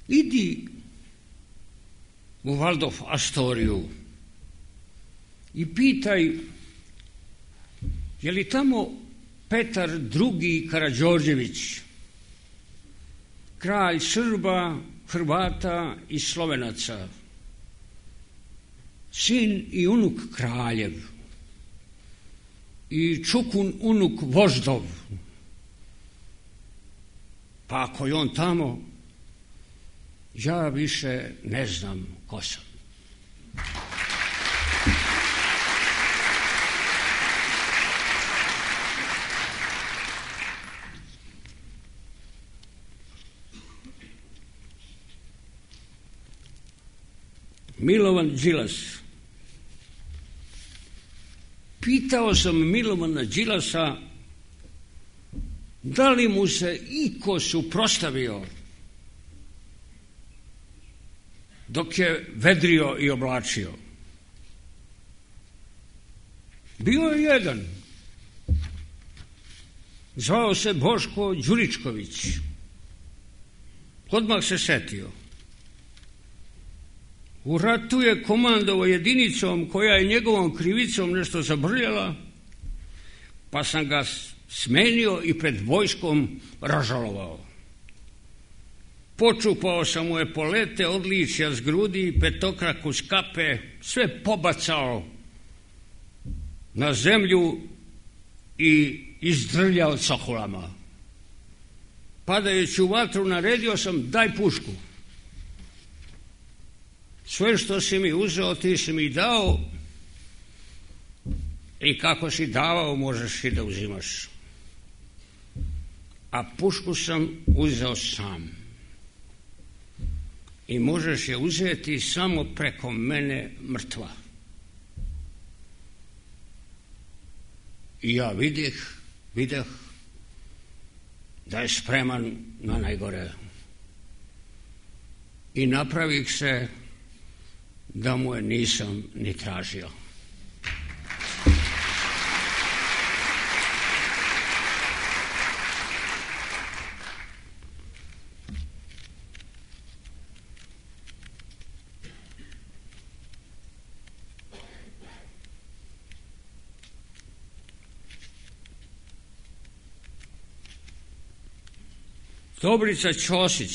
Idi u Waldorf Astoriju i pitaj je li tamo Petar II. Karađorđević, kralj Srba, Hrvata i Slovenaca, sin i unuk kraljev. i Čukun unuk Voždov. Pa ako je on tamo, ja više ne znam ko sam. Milovan Đilas. Pitao sam Milovana Đilasa da li mu se iko suprostavio dok je vedrio i oblačio. Bio je jedan. Zvao se Boško Đuričković. Odmah se setio. U ratu je komandovao jedinicom koja je njegovom krivicom nešto zabrljala, pa sam ga smenio i pred vojskom ražalovao. Počupao sam mu epolete, odličja s grudi, petokraku s kape, sve pobacao na zemlju i izdrljao cokulama. Padajući u vatru naredio sam: daj pušku. Sve što si mi uzeo, ti si mi dao, i kako si davao, možeš i da uzimaš. A pušku sam uzeo sam. I možeš je uzeti samo preko mene mrtva. I ja videh da je spreman na najgore. I napravih se da mu je nisam ni tražio. Dobrica Ćosić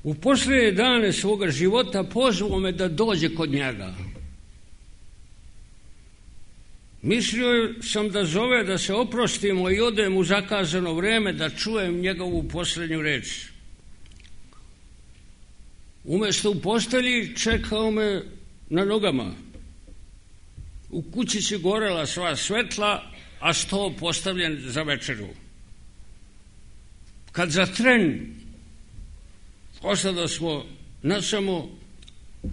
u posljednje dane svoga života pozvao me da dođe kod njega. Mislio sam da zove da se oprostimo i odem u zakazano vreme da čujem njegovu posljednju reč. Umjesto u postelji čekao me na nogama. U kućici gorela sva svetla, a sto postavljen za večeru. Kad za tren ostado smo nasamo,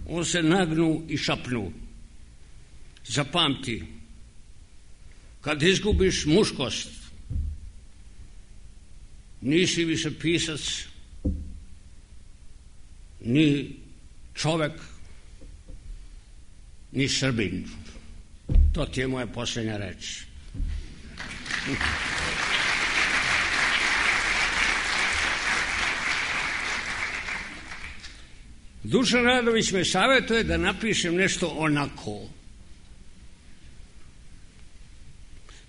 on se nagnu i šapnu: zapamti, kad izgubiš muškost, nisi više pisac, ni čovek, ni Srbin. To ti je moja posljednja reč. Dušan Radović me savjetuje da napišem nešto onako.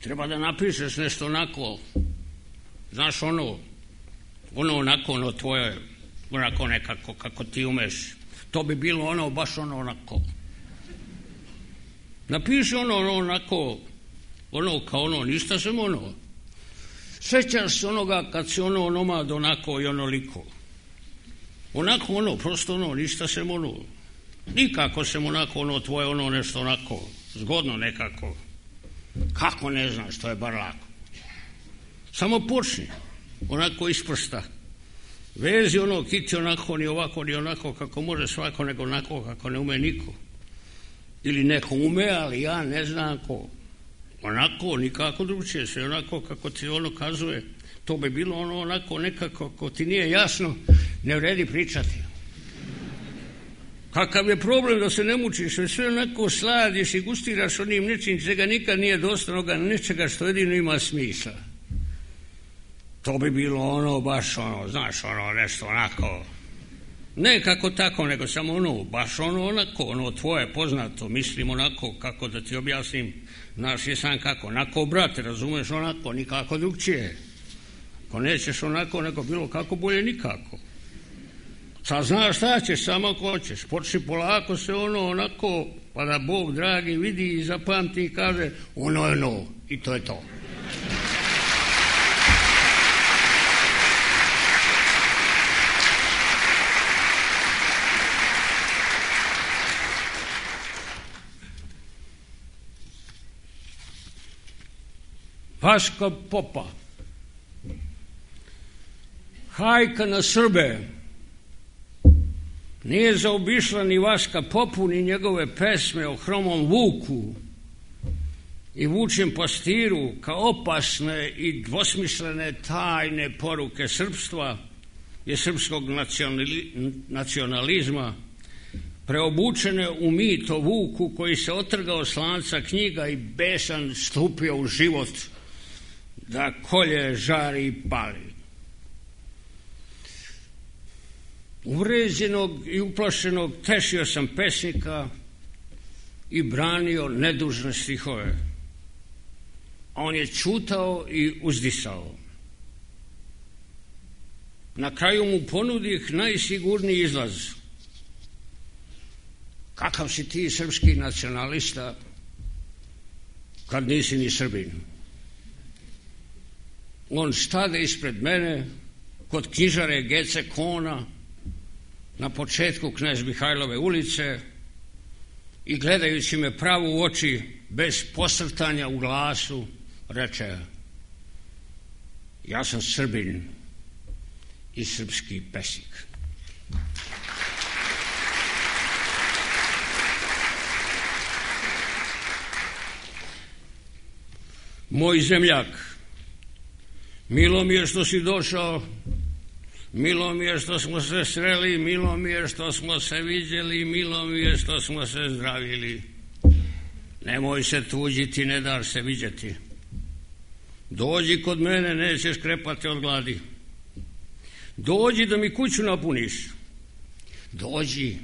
Treba da napišeš nešto onako. Znaš ono onako, ono tvoje, onako nekako kako ti umeš. To bi bilo ono, baš ono onako. Napiši ono onako, ono kao ono, ništa sam ono. Sećaš se onoga kad si ono onomad onako i onoliko. Onako ono, prosto ono, ništa sem ono. Nikako sem onako ono tvoje ono nešto onako, zgodno nekako. Kako ne znaš, to je bar lako. Samo počni, onako iz prsta. Vezi ono, kiti onako, ni ovako, ni onako, kako može svako, nego onako kako ne ume niko. Ili neko ume, ali ja ne znam ko. Onako, nikako drugčije, sve onako kako ti ono kazuje. To bi bilo ono onako nekako, ako ti nije jasno, ne vredi pričati. Kakav je problem da se ne mučiš, sve onako sladiš i gustiraš onim nečim čega nikad nije dosta, onoga nečega što jedino ima smisla. To bi bilo ono, baš ono, znaš, ono nešto onako, ne kako tako, nego samo ono, baš ono onako, ono tvoje poznato, mislim onako, kako da ti objasnim, znaš je sam kako, onako brate, razumeš, onako, nikako drugčije. Ako nećeš onako, nego bilo kako, bolje nikako. Sad znaš šta ćeš, samo ako hoćeš. Počni polako se onako, pa da Bog dragi vidi i zapamti i kaže ono je ono. I to je to. Vaska Popa. Hajka na Srbe. Nije zaobišla ni Vaska Popu, ni njegove pesme o hromom vuku i vučjem pastiru kao opasne i dvosmislene tajne poruke srpstva i srpskog nacionalizma, preobučene u mit o vuku koji se otrgao s lanca knjiga i besan stupio u život da kolje, žari i pali. Uvređenog i uplašenog tešio sam pesnika i branio nedužne stihove. A on je čutao i uzdisao. Na kraju mu ponudih najsigurniji izlaz. Kakav si ti srpski nacionalista kad nisi ni Srbin? On stade ispred mene kod knjižare Gece Kona na početku Knez Mihajlove ulice i gledajući me pravo u oči bez posrtanja u glasu reče: ja sam Srbin i srpski pesnik. Moj zemljak, milo mi je što si došao, milo mi je što smo se sreli, milo mi je što smo se viđeli, milo mi je što smo se zdravili. Nemoj se tuđiti, ne daš se viđeti. Dođi kod mene, nećeš krepati od gladi. Dođi da mi kuću napuniš. Dođi,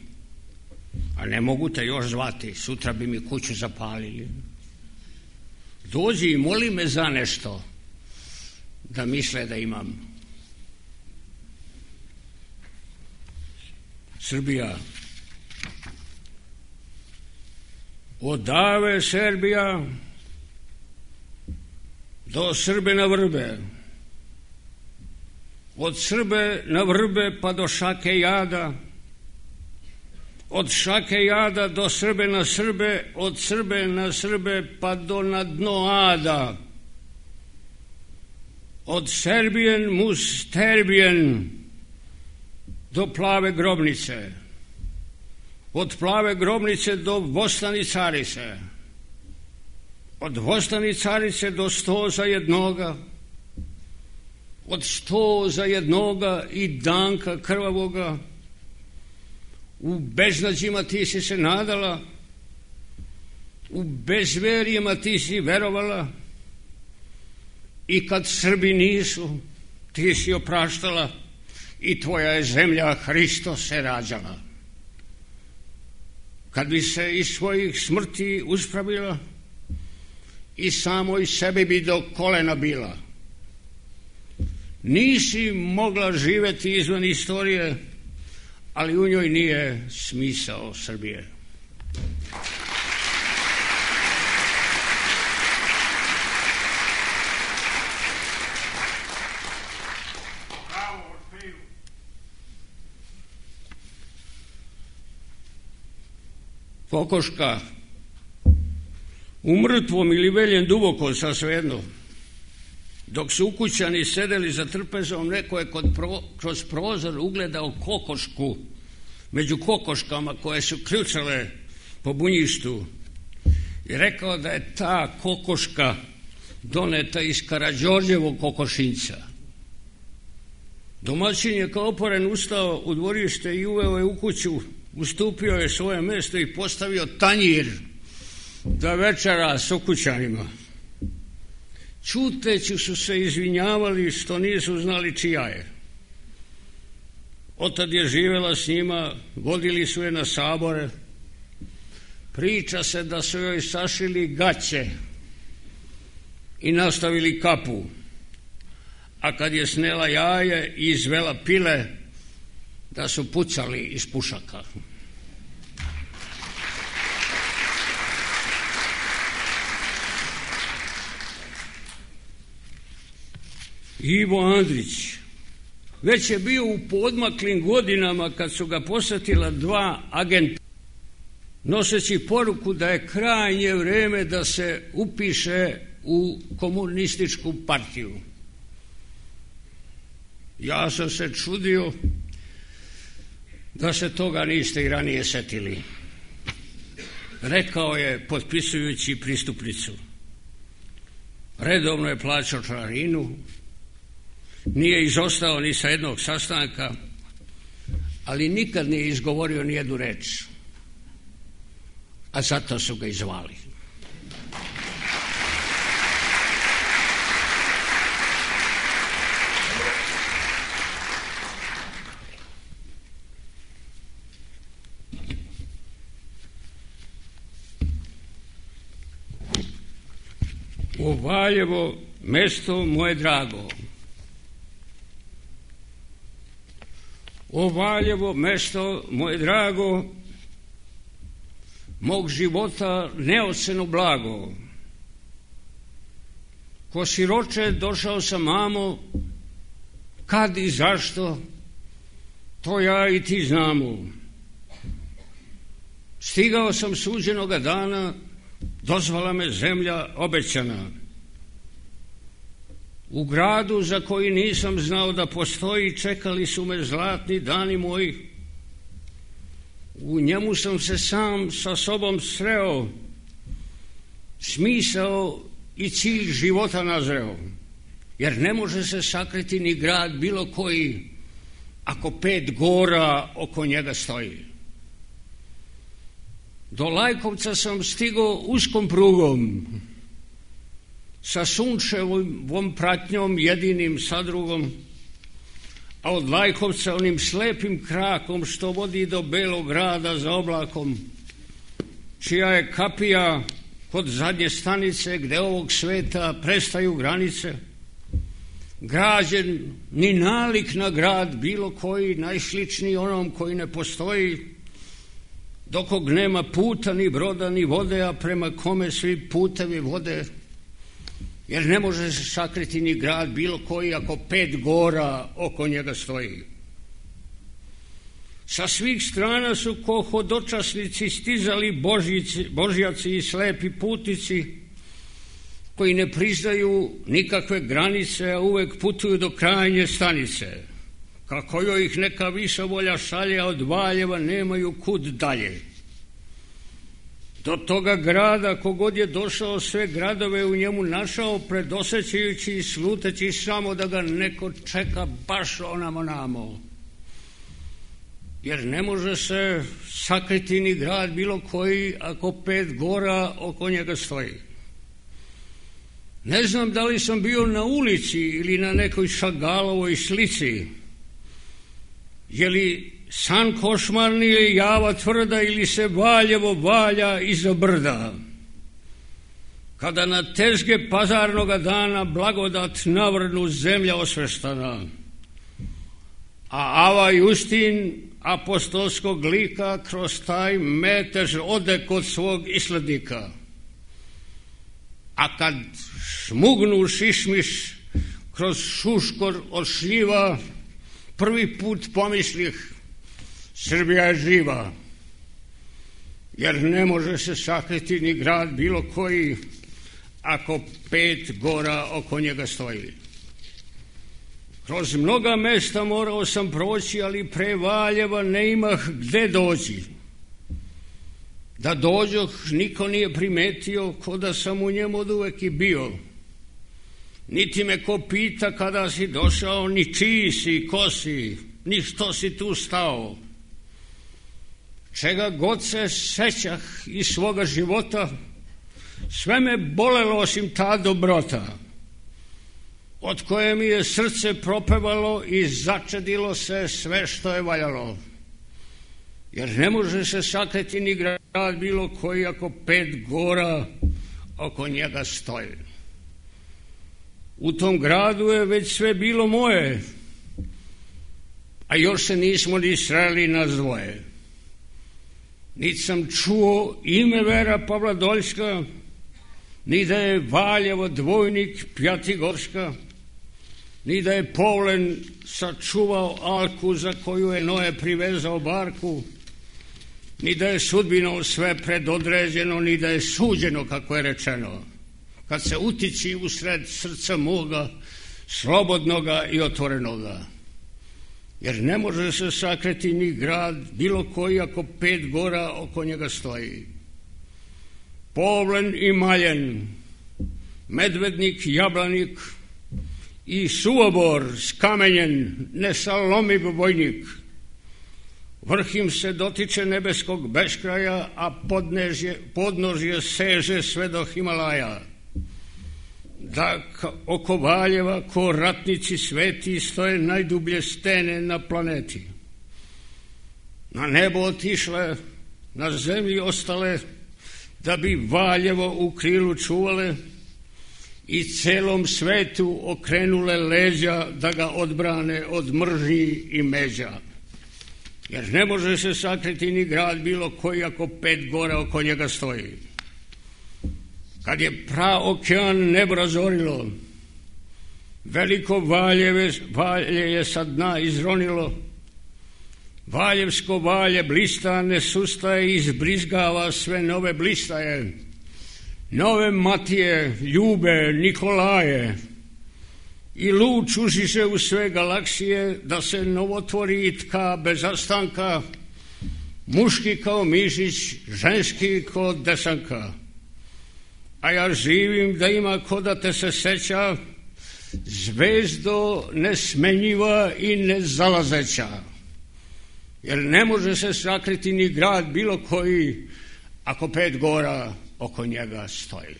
a ne mogu te još zvati, sutra bi mi kuću zapalili. Dođi i moli me za nešto, da misle da imam. Srbija. Odave Serbija do Srbe na vrbe. Od Srbe na vrbe pa do Šake Jada. Od Šake Jada do Srbe na Srbe, od Srbe na Srbe pa do na dno Ada. Od Serbijen mus Terbijen do Plave grobnice. Od Plave grobnice do Vostani carice. Od Vostani carice do 100 za jednoga. Od 100 za jednoga i Danka krvavoga. U beznađima ti si se nadala, u bezverijama ti si verovala i kad Srbi nisu, ti si opraštala i tvoja je zemlja Hristo se rađala. Kad bi se iz svojih smrti uspravila i samoj sebi bi do kolena bila. Nisi mogla živeti izvan istorije, ali u njoj nije smisao Srbije. Kokoška, u mrtvom ili veljem duboko, sa svejedno. Dok su ukućani sedeli za trpezom, neko je kroz prozor ugledao kokošku među kokoškama koje su ključale po bunjištu i rekao da je ta kokoška doneta iz Karađorđevog kokošinjca. Domaćin je kao oporen ustao u dvorište i uveo je u kuću, ustupio je svoje mesto i postavio tanjir da večera s ukućanima. Čuteći su se izvinjavali što nisu znali čija je. Otad je živela s njima, vodili su je na sabore. Priča se da su joj sašili gaće i nastavili kapu, a kad je snela jaje i izvela pile, da su pucali iz pušaka. Ivo Andrić već je bio u poodmaklim godinama kad su ga posjetila dva agenta noseći poruku da je krajnje vreme da se upiše u komunističku partiju. Ja sam se čudio da se toga niste i ranije setili. Rekao je potpisujući pristupnicu. Redovno je plaćao članarinu, nije izostao ni sa jednog sastanka, ali nikad nije izgovorio ni jednu reč. A zato su ga izvali. O Valjevo, mesto moje drago. O Valjevo, mesto moje drago, mog života neoceno blago. Ko siroče došao sam, mamo, kad i zašto, to ja i ti znamo. Stigao sam suđenoga dana, dozvala me zemlja obećana. U gradu za koji nisam znao da postoji, čekali su me zlatni dani moji. U njemu sam se sam sa sobom sreo, smisao i cilj života nazreo, jer ne može se sakriti ni grad bilo koji, ako 5 gora oko njega stoji. Do Lajkovca sam stigao uskom prugom, sa sunčevom pratnjom jedinim sadrugom, a od Lajkovca onim slepim krakom što vodi do Belog grada za oblakom, čija je kapija kod zadnje stanice gde ovog sveta prestaju granice, građen ni nalik na grad bilo koji, najsličniji onom koji ne postoji, dokog nema puta, ni broda, ni vode, a prema kome svi putevi vode, jer ne može se sakriti ni grad bilo koji ako 5 gora oko njega stoji. Sa svih strana su ko hodočasnici stizali božjaci i slepi putnici, koji ne priznaju nikakve granice, a uvek putuju do krajnje stanice. Kako joj ih neka viša volja šalje, a od Valjeva nemaju kud dalje. Do toga grada, kogod je došao, sve gradove u njemu našao, predosećajući i sluteći samo da ga neko čeka baš onamo. Jer ne može se sakriti ni grad bilo koji ako 5 gora oko njega stoji. Ne znam da li sam bio na ulici ili na nekoj Šagalovoj slici. Je li san košmarni ili java tvrda, ili se Valjevo valja iza brda? Kada na tezge pazarnoga dana blagodat navrnu zemlja osveštana, a Ava Justin apostolskog lika kroz taj metež ode kod svog islednika. A kad šmugnu šišmiš kroz šuškor od šljiva, prvi put pomislih, Srbija je živa, jer ne može se sakriti ni grad bilo koji ako 5 gora oko njega stoji. Kroz mnoga mesta morao sam proći, ali pre Valjeva ne imah gde doći. Da dođoh, niko nije primetio, ko da sam u njemu od uvek i bio. Niti me ko pita kada si došao, ni čiji si, ko si, ni što si tu stao. Čega god se sećah iz svoga života, sve me bolelo osim ta dobrota, od koje mi je srce propevalo i začedilo se sve što je valjalo. Jer ne može se sakriti ni grad bilo koji ako 5 gora oko njega stoji. U tom gradu je već sve bilo moje, a još se nismo ni sreli na dvoje. Niti sam čuo ime Vera Pavla Doljska, ni da je Valjevo dvojnik Pjatigorska, ni da je Povlen sačuvao Alku za koju je Noe privezao barku, ni da je sudbinom sve predodređeno, ni da je suđeno, kako je rečeno, kad se utiči usred srca moga, slobodnoga i otvorenoga. Jer ne može se sakriti ni grad, bilo koji, ako 5 gora oko njega stoji. Povlen i Maljen, Medvednik, Jablanik i Suobor skamenjen, nesalomiv vojnik. Vrh im se dotiče nebeskog beskraja, a podnožje seže sve do Himalaja. Da oko Valjeva ko ratnici sveti stoje najdublje stene na planeti. Na nebo otišle, na zemlji ostale, da bi Valjevo u krilu čuvale i celom svetu okrenule leđa da ga odbrane od mržnji i međa. Jer ne može se sakriti ni grad bilo koji ako 5 gora oko njega stoji. Kad je praokean nebo razorilo, veliko valje je sa dna izronilo. Valjevsko valje blista ne sustaje i izbrizgava sve nove blistaje. Nove Matije, Ljube, Nikolaje i luč užiše u sve galaksije da se novotvori i tka bez zastanka, muški kao mišić, ženski kao desanka. A ja živim da ima ko da te se seća, zvezdo nesmenjiva i nezalazeća. Jer ne može se sakriti ni grad bilo koji ako 5 gora oko njega stoji.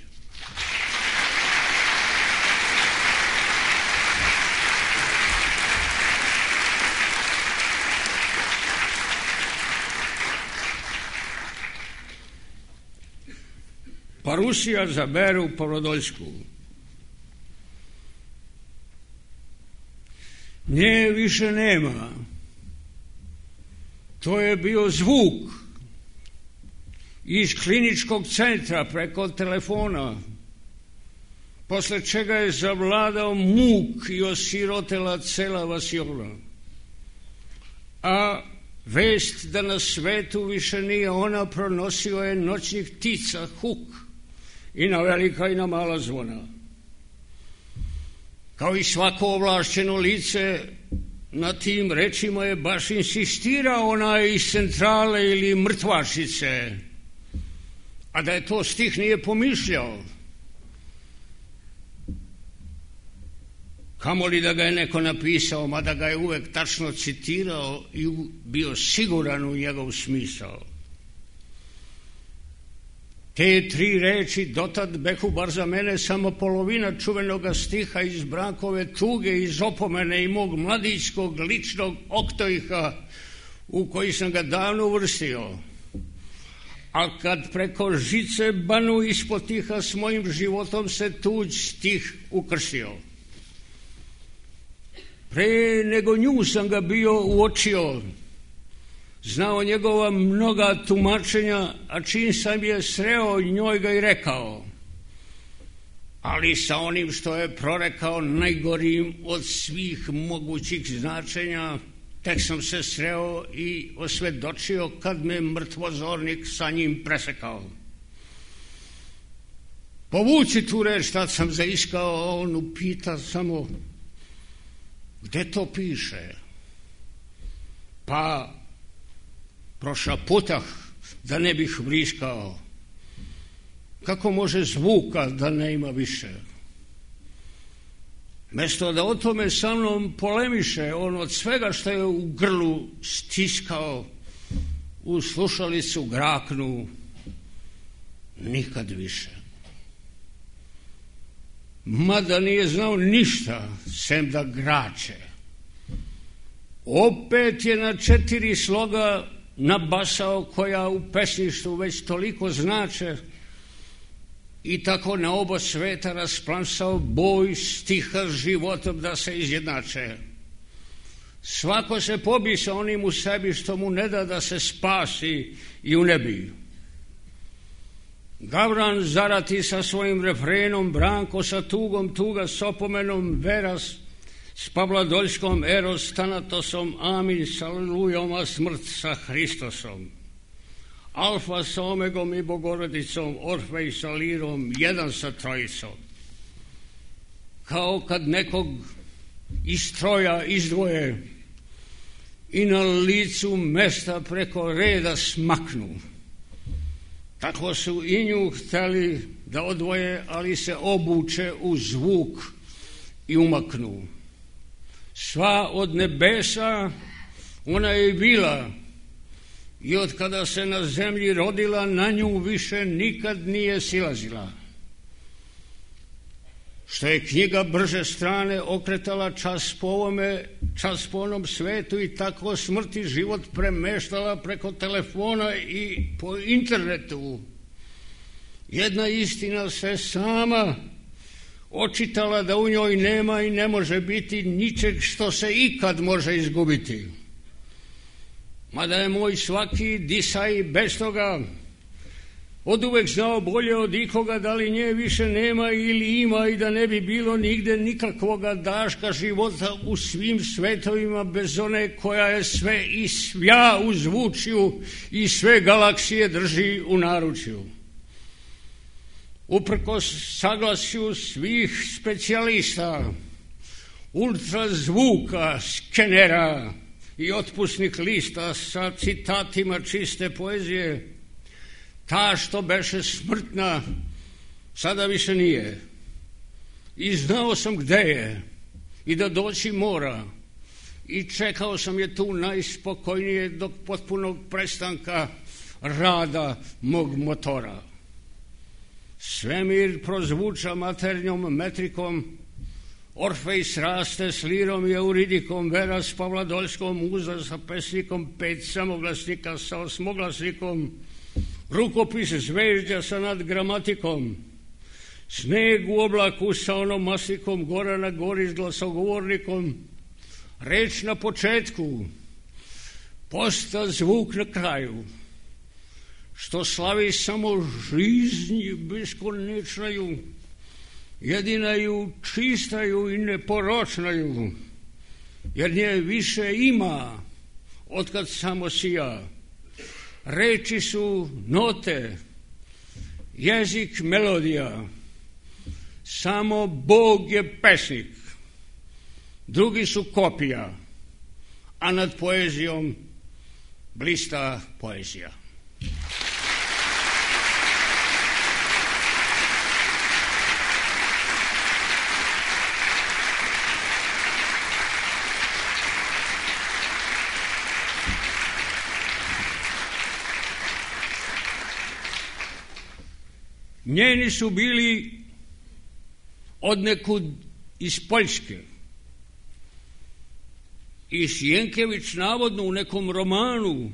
Pa Rusija za Veru Pavlodoljsku. Nje više nema. To je bio zvuk iz kliničkog centra preko telefona, posle čega je zavladao muk i osirotela cela vasiona. A vest da na svetu više nije ona pronosio je noćnih ptica huk i na velika i na mala zvona. Kao i svako ovlašćeno lice, na tim rečima je baš insistirao onaj iz centrale ili mrtvačice, a da je to stih nije pomišljao. Kamoli da ga je neko napisao, mada ga je uvek tačno citirao i bio siguran u njegov smisao. Te 3 reči dotad behu bar za mene samo polovina čuvenoga stiha iz Brankove tuge, iz opomene i mog mladićkog ličnog oktojha u koji sam ga davno uvrstio. A kad preko žice banu ispod tiha s mojim životom se tuđ stih ukrstio. Pre nego nju sam ga bio uočio, znao njegova mnoga tumačenja, a čim sam je sreo njoj ga i rekao. Ali sa onim što je prorekao najgorim od svih mogućih značenja, tek sam se sreo i osvedočio kad me mrtvozornik sa njim presekao. Povuci tu reč, tad sam zaiskao, a on upita samo, gde to piše? Pa prošaputah da ne bih vriskao. Kako može zvuka da ne ima više? Mesto da o tome sa mnom polemiše, on od svega što je u grlu stiskao, u slušalicu graknu, nikad više. Mada nije znao ništa, sem da grače. Opet je na 4 sloga nabasao koja u pesništvu već toliko znače i tako na oba sveta rasplansao boj stiha s životom da se izjednače. Svako se pobi sa onim u sebi što mu ne da se spasi i unebi. Gavran zarati sa svojim refrenom, Branko sa tugom, tuga s opomenom, Veras s Pavladoljskom, Eros s Tanatosom, Amin sa Alelujom, a smrt sa Hristosom. Alfa sa Omegom i Bogorodicom, Orfej sa Lirom, jedan sa Trojicom. Kao kad nekog iz troja izdvoje i na licu mesta preko reda smaknu. Tako su i nju hteli da odvoje, ali se obuče u zvuk i umaknu. Sva od nebesa ona je bila i od kada se na zemlji rodila, na nju više nikad nije silazila. Što je knjiga brže strane okretala čas po ovome, čas po onom svetu i tako smrt i život premeštala preko telefona i po internetu. Jedna istina se sama očitala da u njoj nema i ne može biti ničeg što se ikad može izgubiti. Mada je moj svaki disaj bez toga od uvek znao bolje od ikoga da li nje više nema ili ima i da ne bi bilo nigde nikakvoga daška života u svim svetovima bez one koja je sve i svja u zvučju i sve galaksije drži u naručju. Uprkos saglasju svih specijalista, ultrazvuka, skenera i otpusnih lista sa citatima čiste poezije, ta što beše smrtna sada više nije. I znao sam gde je i da doći mora i čekao sam je tu najspokojnije do potpunog prestanka rada mog motora. Svemir prozvuča maternjom metrikom, Orfej sraste s Lirom i Euridikom, Vera s Pavladoljskom, Muza sa pesnikom, 5 samoglasnika sa osmoglasnikom, rukopis zvežđa sa nadgramatikom, sneg u oblaku sa onomastikom, gora na gori s glasogovornikom, reč na početku, posta zvuk na kraju, što slavi samo žiznji beskonečnaju, jedinaju, čistaju i neporočnaju, jer nje više ima otkad samo sija. Reči su note, jezik melodija, samo Bog je pesnik, drugi su kopija, a nad poezijom blista poezija. Njeni su bili odnekud iz Poljske. I Sjenkević navodno u nekom romanu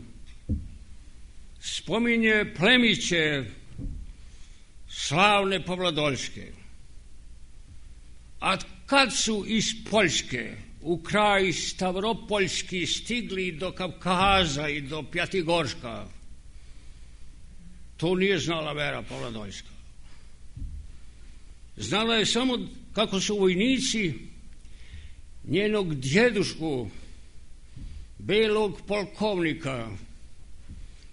spominje plemiće slavne Pavladoljske. A kad su iz Poljske u kraj Stavropoljski stigli do Kavkaza i do Pjatigorška, to nije znala Vera Pavladoljska. Znala je samo kako su vojnici njenog djedušku, belog polkovnika,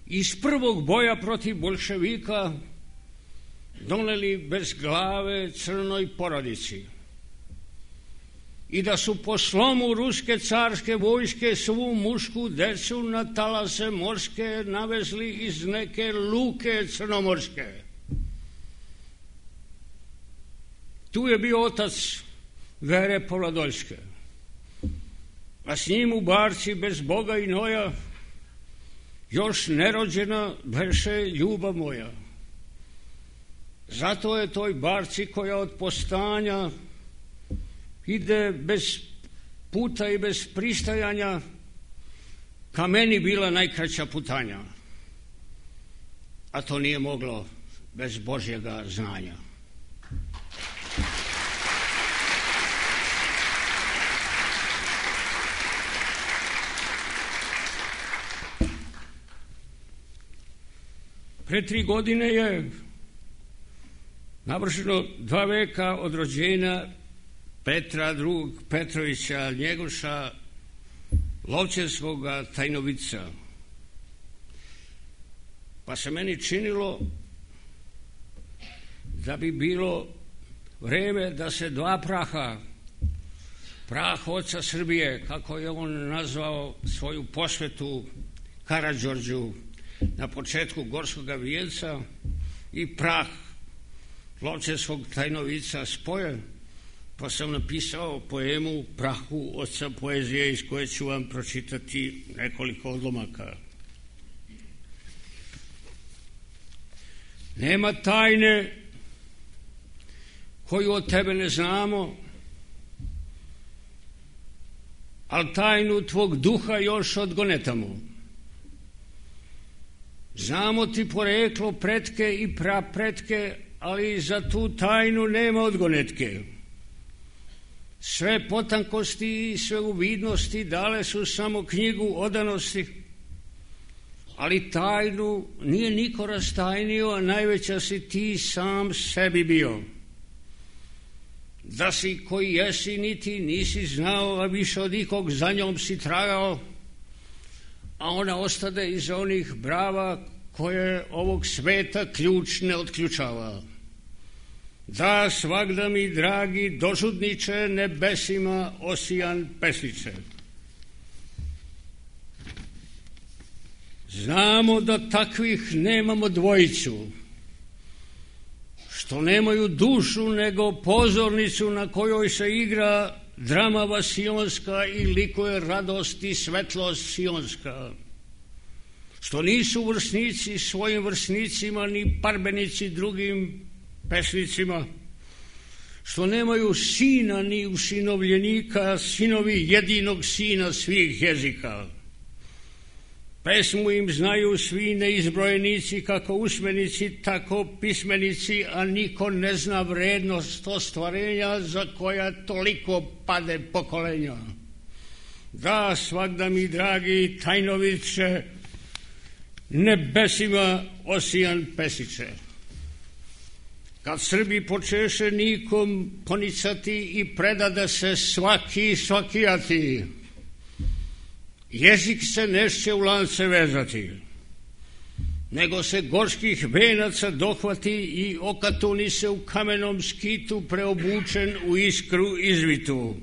iz prvog boja protiv bolševika doneli bez glave crnoj porodici i da su po slomu ruske carske vojske svu mušku decu na talase morske navezli iz neke luke crnomorske. Tu je bio otac Vere Pavladoljske, a s njim u barci bez Boga i noja još nerođena beše ljubav moja. Zato je toj barci koja od postanja ide bez puta i bez pristajanja ka meni bila najkraća putanja, a to nije moglo bez Božjega znanja. Pre 3 godine je navršeno 2 veka od rođenja Petra II. Petrovića Njegoša, Lovćenskoga tajnovica. Pa se meni činilo da bi bilo vreme da se 2 praha, prah oca Srbije, kako je on nazvao svoju posvetu Karađorđu na početku Gorskoga vijenca, i prah Lovćenskog tajnovica spoje, pa sam napisao poemu Prahu oca poezije, iz koje ću vam pročitati nekoliko odlomaka. Nema tajne koju od tebe ne znamo, ali tajnu tvog duha još odgonetamo. Znamo ti poreklo, pretke i prapretke, ali za tu tajnu nema odgonetke. Sve potankosti i sve uvidnosti dale su samo knjigu odanosti, ali tajnu nije niko rastajnio, a najveća si ti sam sebi bio. Da si koji jesi niti nisi znao, a više od ikog za njom si tragao, a ona ostade iza onih brava koje ovog sveta ključ ne otključava. Da, svagda mi, dragi dožudniče, nebesima osijan pesniče. Znamo da takvih nemamo dvojicu, što nemaju dušu nego pozornicu na kojoj se igra drama vasionska i likuje radost i svetlost sionska, što nisu vrsnici svojim vrsnicima ni parbenici drugim pesnicima, što nemaju sina ni usinovljenika, sinovi jedinog sina svih jezika. Pesmu im znaju svi neizbrojenici, kako usmenici, tako pismenici, a niko ne zna vrednost ostvarenja za koja toliko pade pokolenja. Da, svagda mi, dragi tajnoviće, nebesima osijan pesiče. Kad Srbi počeše nikom ponicati i predade se svaki svakijati, jezik se nešće u lance vezati, nego se gorskih venaca dohvati i okatuni se u kamenom skitu preobučen u iskru izvitu.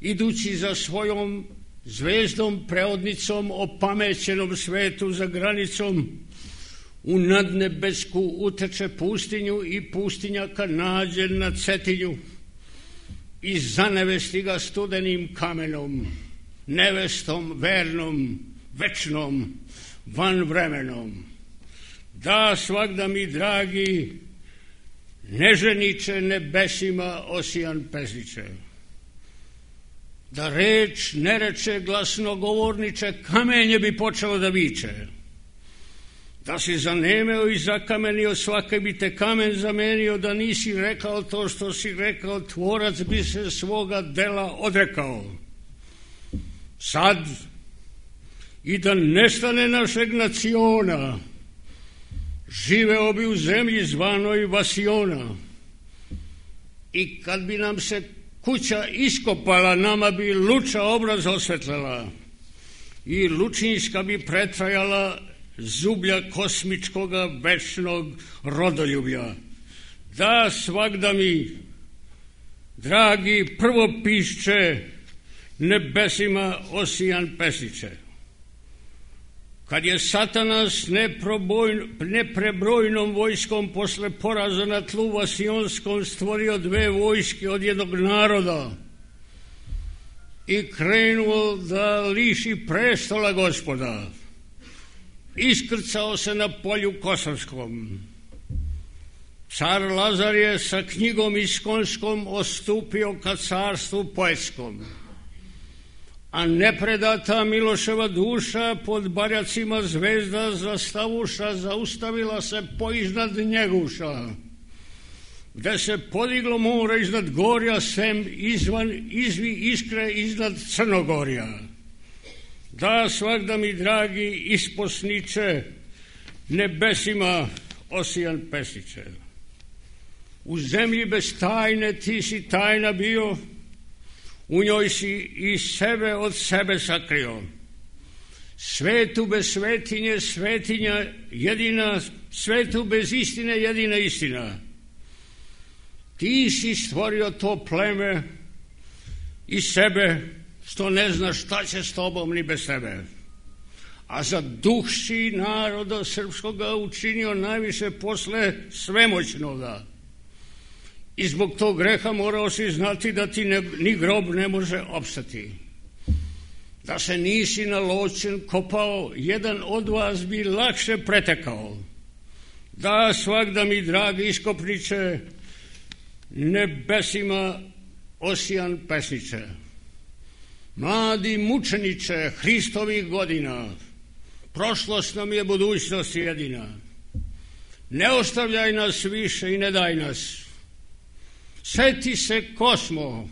Idući za svojom zvezdom preodnicom opamećenom svetu za granicom, u nadnebesku uteče pustinju i pustinjaka nađe na Cetinju i zanevesti ga studenim kamenom, nevestom vernom, večnom, vanvremenom. Da, svagda mi, dragi neženiče, nebesima osijan pesniče. Da reč ne reče glasnogovorniče, kamenje bi počelo da viče. Da si zanemeo i zakamenio, svake bi te kamen zamenio, da nisi rekao to što si rekao, tvorac bi se svoga dela odrekao. Sad, i da nestane našeg naciona, živeo bi u zemlji zvanoj Vasiona. I kad bi nam se kuća iskopala, nama bi luča obraz osvetlela i lučinjska bi pretrajala zublja kosmičkoga večnog rodoljublja. Da, svagda mi, dragi prvopišće, nebesima osijan pesniče. Kad je Satanas neprebrojnom vojskom posle poraza na tlu vasionskom stvorio 2 vojske od jednog naroda i krenuo da liši prestola Gospoda, iskrcao se na polju Kosovskom. Car Lazar je sa knjigom iskonskom ostupio ka carstvu poetskom, a nepredata Miloševa duša pod barjacima zvezda zastavuša zaustavila se poiznad Njeguša, gde se podiglo more iznad gorja, sem izvi iskre iznad Crnogorja. Da, svagda mi, dragi isposniče, nebesima osijan pesniče. U zemlji bez tajne ti si tajna bio, u njoj si i sebe od sebe sakrio. Svetu bez svetinje, svetinja jedina, svetu bez istine, jedina istina. Ti si stvorio to pleme i sebe, što ne znaš šta će s tobom ni bez tebe. A za duh si naroda srpskoga učinio najviše posle svemoćnoga. I zbog tog greha morao si znati da ti ni grob ne može opstati. Da se nisi na ločen kopao, jedan od vas bi lakše pretekao. Da, svakda mi, dragi iskopniče, nebesima osijan pesniče. Mladi mučeniče Hristovih godina, prošlost nam je budućnost jedina. Ne ostavljaj nas više i ne daj nas. Seti se ko smo,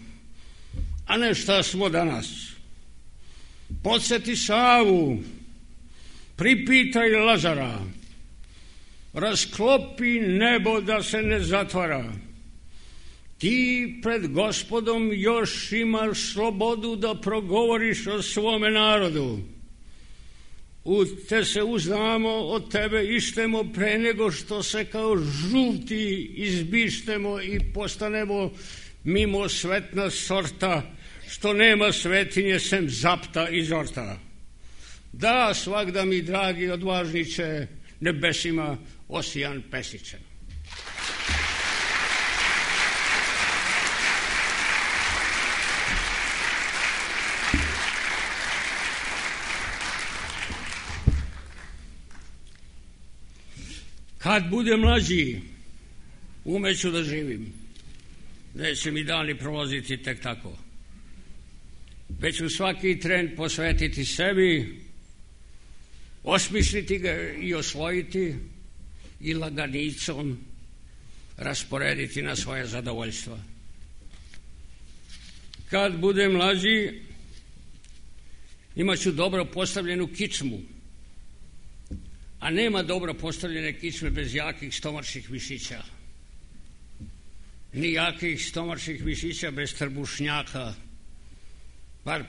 a ne šta smo danas. Podsjeti Savu, pripitaj Lazara, rasklopi nebo da se ne zatvara. Ti pred Gospodom još imaš slobodu da progovoriš o svome narodu. U te se uznamo, od tebe ištemo pre nego što se kao žuti izbištemo i postanemo mimo svetna sorta, što nema svetinje sem zapta i zorta. Da, svakda mi, dragi odvažniče, nebesima osijan pesniče. Kad budem mlađi, umeću da živim. Neće mi dani prolaziti tek tako. Već ću svaki tren posvetiti sebi, osmisliti ga i osvojiti i laganicom rasporediti na svoje zadovoljstva. Kad budem mlađi, imat ću dobro postavljenu kičmu, a nema dobro postavljene kičme bez jakih stomačnih mišića. Ni jakih stomačnih mišića bez trbušnjaka, bar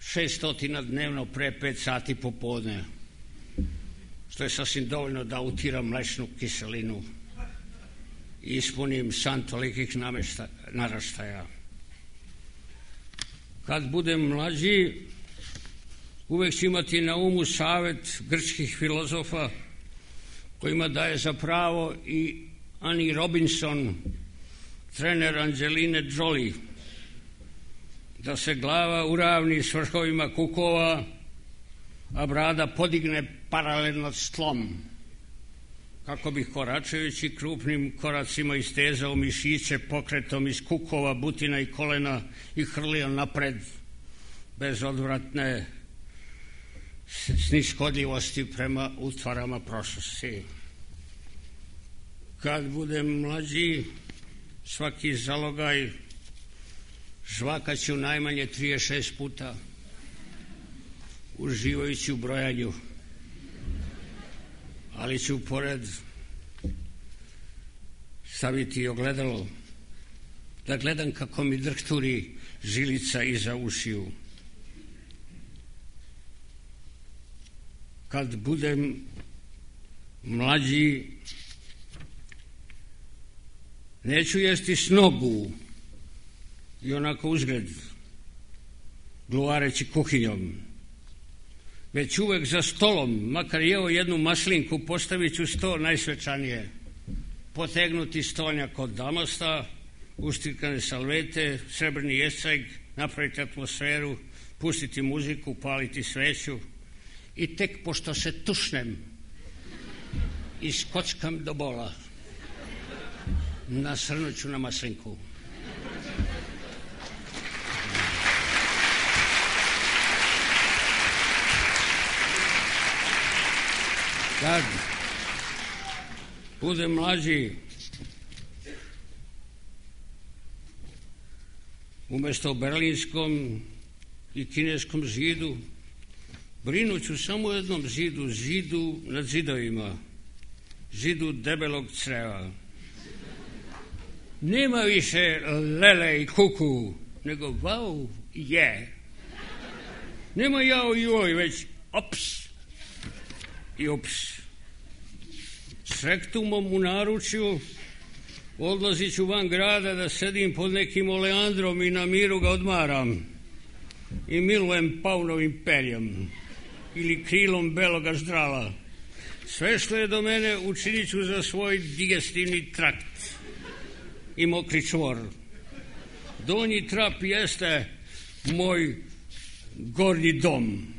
600 dnevno pre 5 sati popodne, što je sasvim dovoljno da utiram mlečnu kiselinu i ispunim san tolikih naraštaja. Kad budem mlađi, uvek ću imati na umu savet grčkih filozofa kojima daje za pravo i Annie Robinson, trener Angeline Jolie, da se glava uravni s vrhovima kukova, a brada podigne paralelno s tlom, kako bi koračajući krupnim koracima istezao mišiće pokretom iz kukova, butina i kolena i hrlio napred bez odvratne snishodljivosti prema utvarama prošlosti. Kad budem mlađi, svaki zalogaj žvakaću najmanje 36 puta, uživajući u brojanju, ali ću pored staviti ogledalo da gledam kako mi drhturi žilica iza ušiju. Kad budem mlađi, neću jesti snogu i onako uzgled, gluvareći kuhinjom, već uvek za stolom, makar jeo jednu maslinku, postavit ću sto najsvečanije, potegnuti stolnjak od damasta, uštrikane salvete, srebrni jesajg, napraviti atmosferu, pustiti muziku, paliti sveću i tek pošto se tušnem i skockam do bola, nasrnuću na maslinku. Kad budem mlađi, umesto o berlinskom i kineskom zidu, brinuću samo o jednom zidu, zidu nad zidovima, židu debelog creva. Nema više lele i kuku, nego vau je. Nema jao i oj, već ops i ops. S rektumom u naručju odlazit ću van grada da sedim pod nekim oleandrom i na miru ga odmaram i milujem paunovim perjem ili krilom beloga ždrala. Sve što je do mene učinit ću za svoj digestivni trakt i mokri čvor. Donji trap jeste moj gornji dom.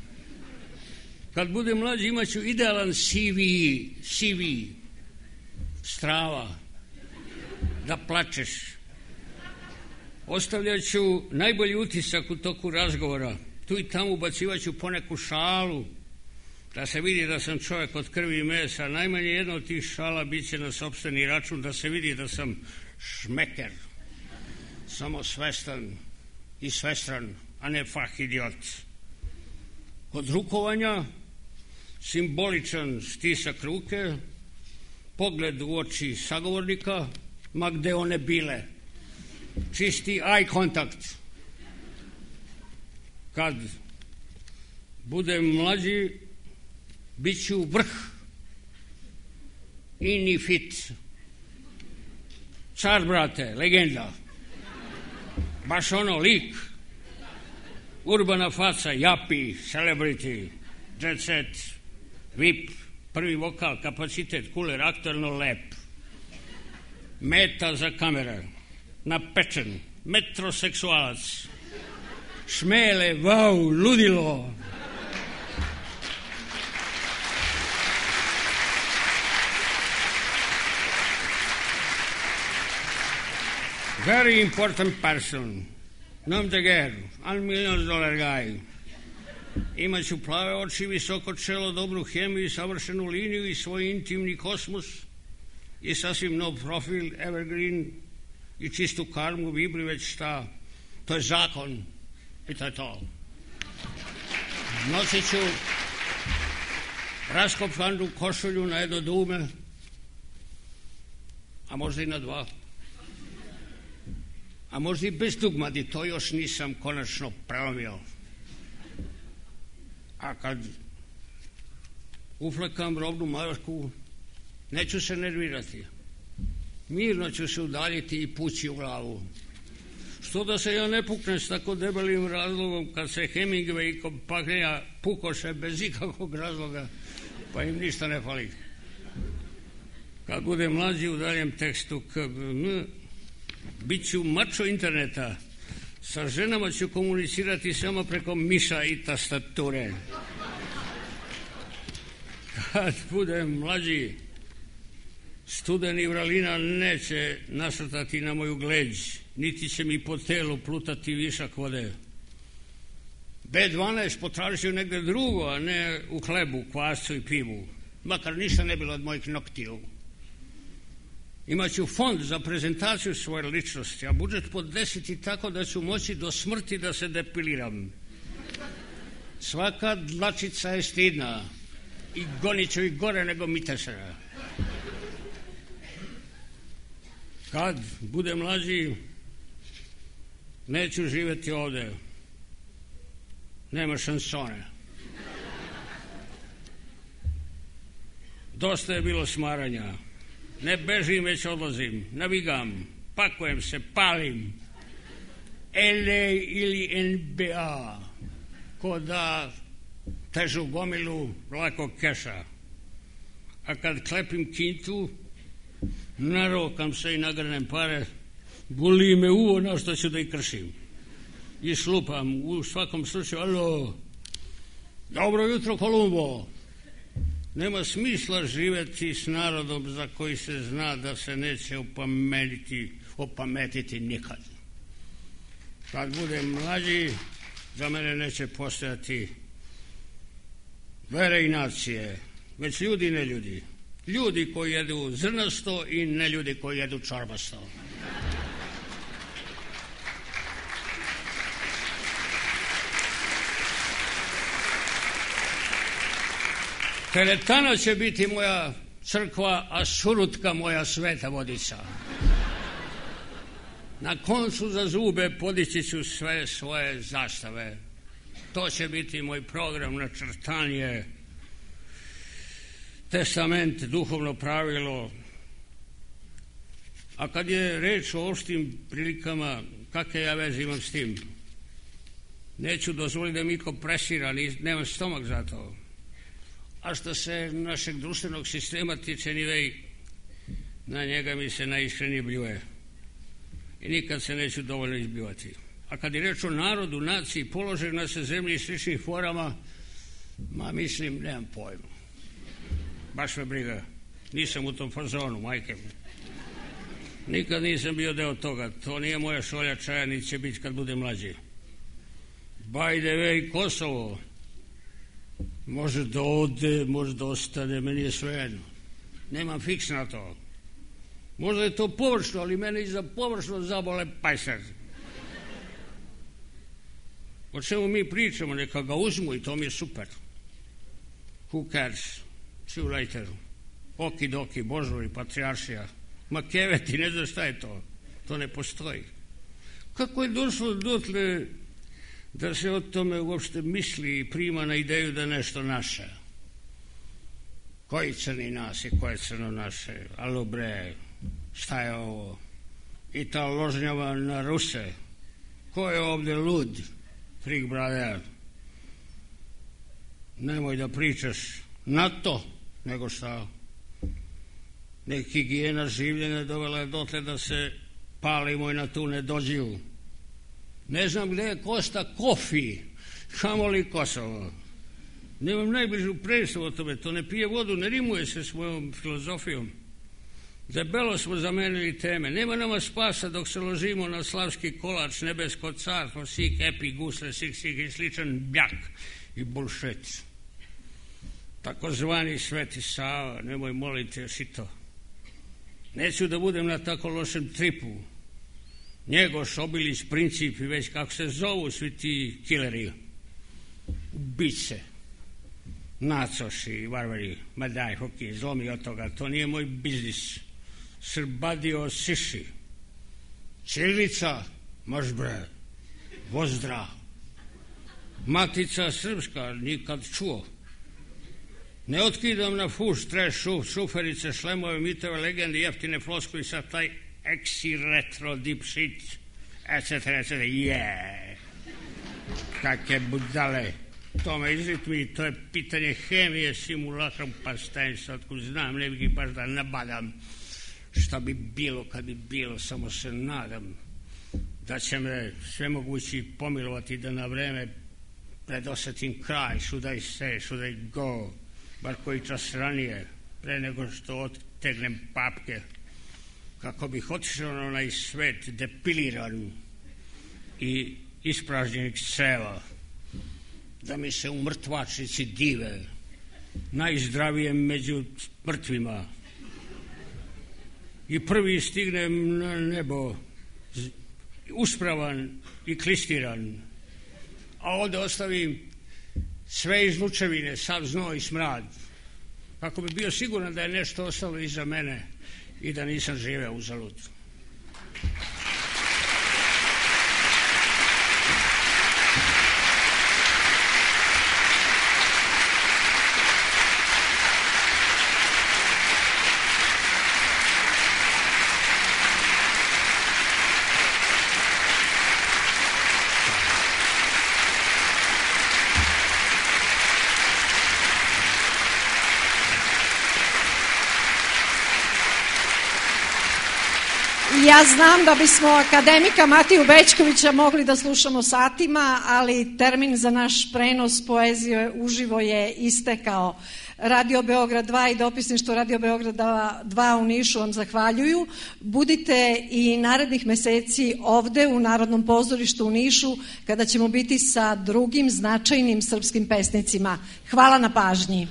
Kad budem mlađi imat ću idealan CV, strava, da plačeš. Ostavljat ću najbolji utisak u toku razgovora. Tu i tamo ubacivat ću poneku šalu, da se vidi da sam čovjek od krvi i mesa. Najmanje jedna od tih šala bit će na sopstveni račun, da se vidi da sam šmeker, samo svestan i svestran, a ne fah idiot. Kod rukovanja simboličan stisak ruke, pogled u oči sagovornika, ma gde one bile, čisti eye contact. Kad budem mlađi, bit ću vrh, ini fit, car, brate, legenda, baš ono lik, urbana faca, japi, celebrity, jet set, VIP, prvi vokal, kapacitet, kuler, aktualno lep, meta za kamere, napečen, metroseksualac, šmele, vau, ludilo. Very important person. Nom de guerre, $1 million guy. Imaću plave oči, visoko čelo, dobru hemiju, savršenu liniju i svoj intimni kosmos i sasvim nov profil, evergreen i čistu karmu, vibri već šta. To je zakon i to je to. Nosit ću raskopanu košulju na jedno dume, a možda i na dva. A možda i bez dugmadi, to još nisam konačno prelomio. A kad uflekam robnu masku, neću se nervirati. Mirno ću se udaljiti i pući u glavu. Što da se ja ne puknem s tako debelim razlogom kad se Hemingway i kompanija pukoše bez ikakvog razloga, pa im ništa ne fali. Kad budem mlađi u daljem tekstu bit ću mačo interneta, sa ženama ću komunicirati samo preko miša i tastature. Kad budem mlađi, studeni vralina neće nasrtati na moju gleđ, niti će mi po telu plutati višak vode. B12 potražio negde drugo, a ne u hlebu, kvascu i pivu, makar ništa ne bilo od mojih noktiju. Imaću fond za prezentaciju svoje ličnosti, a budžet podesiti tako da ću moći do smrti da se depiliram. Svaka dlačica je stidna i gonit ću ih gore nego mitesera. Kad budem mlađi, neću živjeti ovde. Nema šansone. Dosta je bilo smaranja. Ne bežim, već odlazim, navigam, pakujem se, palim. LA ili NBA, ko da težu gomilu lako keša. A kad klepim kintu, narokam se i nagrnem pare, boli me uvo na što ću da ih kršim. I slupam, u svakom slučaju, alo, dobro jutro Kolumbo. Nema smisla živjeti s narodom za koji se zna da se neće opametiti nikad. Kad budem mlađi, za mene neće postojati vere i nacije, već ljudi i neljudi. Ljudi koji jedu zrnasto i neljudi koji jedu čorbasto. Teretana će biti moja crkva, a surutka moja sveta vodica. Na koncu za zube podići ću sve svoje zastave. To će biti moj program, načrtanje, testament, duhovno pravilo. A kad je reč o opštim prilikama, kakve ja veze imam s tim? Neću dozvoliti da mi ko presira, nemam stomak za to. A što se našeg društvenog sistema tiče, na njega mi se najiskrenije bljuje. I nikad se neću dovoljno izbivati. A kad je reč o narodu, naciji, položaju na se zemlji i sličnih forama, mislim, nemam pojma. Baš me briga. Nisam u tom fazonu, majke mi. Nikad nisam bio deo toga. To nije moja šolja čaja, ni će biti kad bude mlađi. By the way, Kosovo. Može da ode, može da ostane, meni je svejedno. Nemam fiks na to. Možda je to površno, ali mene iza površno zabole pajser. O čemu mi pričamo, neka ga uzmu i to mi je super. Who cares? See you later. Okidoki, božovi, patrijaršija. Ma keveti, ne znaš šta je to. To ne postoji. Kako je došlo dotle da se o tome uopšte misli i prima na ideju da nešto naše? Koji crni nas i koje crno naše? Alo bre, šta je ovo? I ta ložnjava na Ruse. Ko je ovde lud? Freak brother. Nemoj da pričaš na to, nego šta? Nek higijena življenja dovela je dotle da se palimo i na tu nedođiju. Ne znam gde je Kosta Kofi, kamoli Kosovo. Nemam najbližu predstavu o tome, to ne pije vodu, ne rimuje se s mojom filozofijom. Debelo smo zamenili teme. Nema nama spasa dok se ložimo na slavski kolač, nebesko carstvo, sik, epi, gusle, sik i sličan bjak i bullshit. Takozvani Sveti Sava, nemoj moliti još i to. Neću da budem na tako lošem tripu. Njegoš, Obilić, Princip i već kako se zovu svi ti killeri, ubice, nacoši i varvari. Ma daj, hoki, zlomi od toga, to nije moj biznis. Srbadio siši. Ćirilica, maš bre, vozdra. Matica srpska, nikad čuo. Ne otkidam na fuš, treš, šuferice, šlemove, mitove, legende, jeftine floskuli sa taj eksi retro deep shit, etc. Kakve budale. To me izritmi, to je pitanje hemije, simulakrom, pa stajem se otkud znam, ne bih baš da nabadam šta bi bilo kad bi bilo, samo se nadam da će me svemogući pomilovati da na vreme predosetim kraj, should I say, should I go, bar koji čas ranije, pre nego što odtegnem papke, kako bih otišao na onaj svet depiliran i ispražnjenih ceva, da mi se u mrtvačnici dive, najzdravijem među mrtvima, i prvi stignem na nebo, uspravan i klistiran, a ovde ostavim sve izlučevine, sav znoj i smrad, kako bi bio siguran da je nešto ostalo iza mene i da nisam živeo uzalud. Ja znam da bismo akademika Matiju Bećkovića mogli da slušamo satima, ali termin za naš prenos poezije uživo je istekao. Radio Beograd 2 i dopisništvo Radio Beograd 2 u Nišu vam zahvaljuju. Budite i narednih meseci ovde u Narodnom pozorištu u Nišu kada ćemo biti sa drugim značajnim srpskim pesnicima. Hvala na pažnji.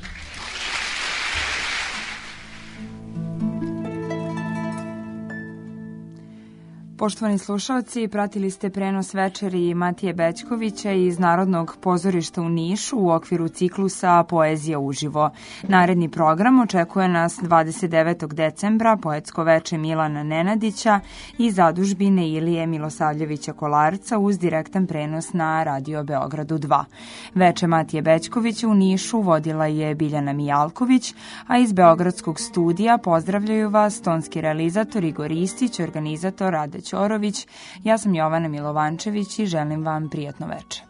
Poštovani slušalci, pratili ste prenos večeri Matije Bećkovića iz Narodnog pozorišta u Nišu u okviru ciklusa Poezija uživo. Naredni program očekuje nas 29. decembra, poetsko veče Milana Nenadića i zadužbine Ilije Milosavljevića Kolarca uz direktan prenos na Radio Beogradu 2. Veče Matije Bećkovića u Nišu vodila je Biljana Mijalković, a iz Beogradskog studija pozdravljaju vas tonski realizator Igor Ristić, organizator Rade Ćorović. Ja sam Jovana Milovančević i želim vam prijatno veče.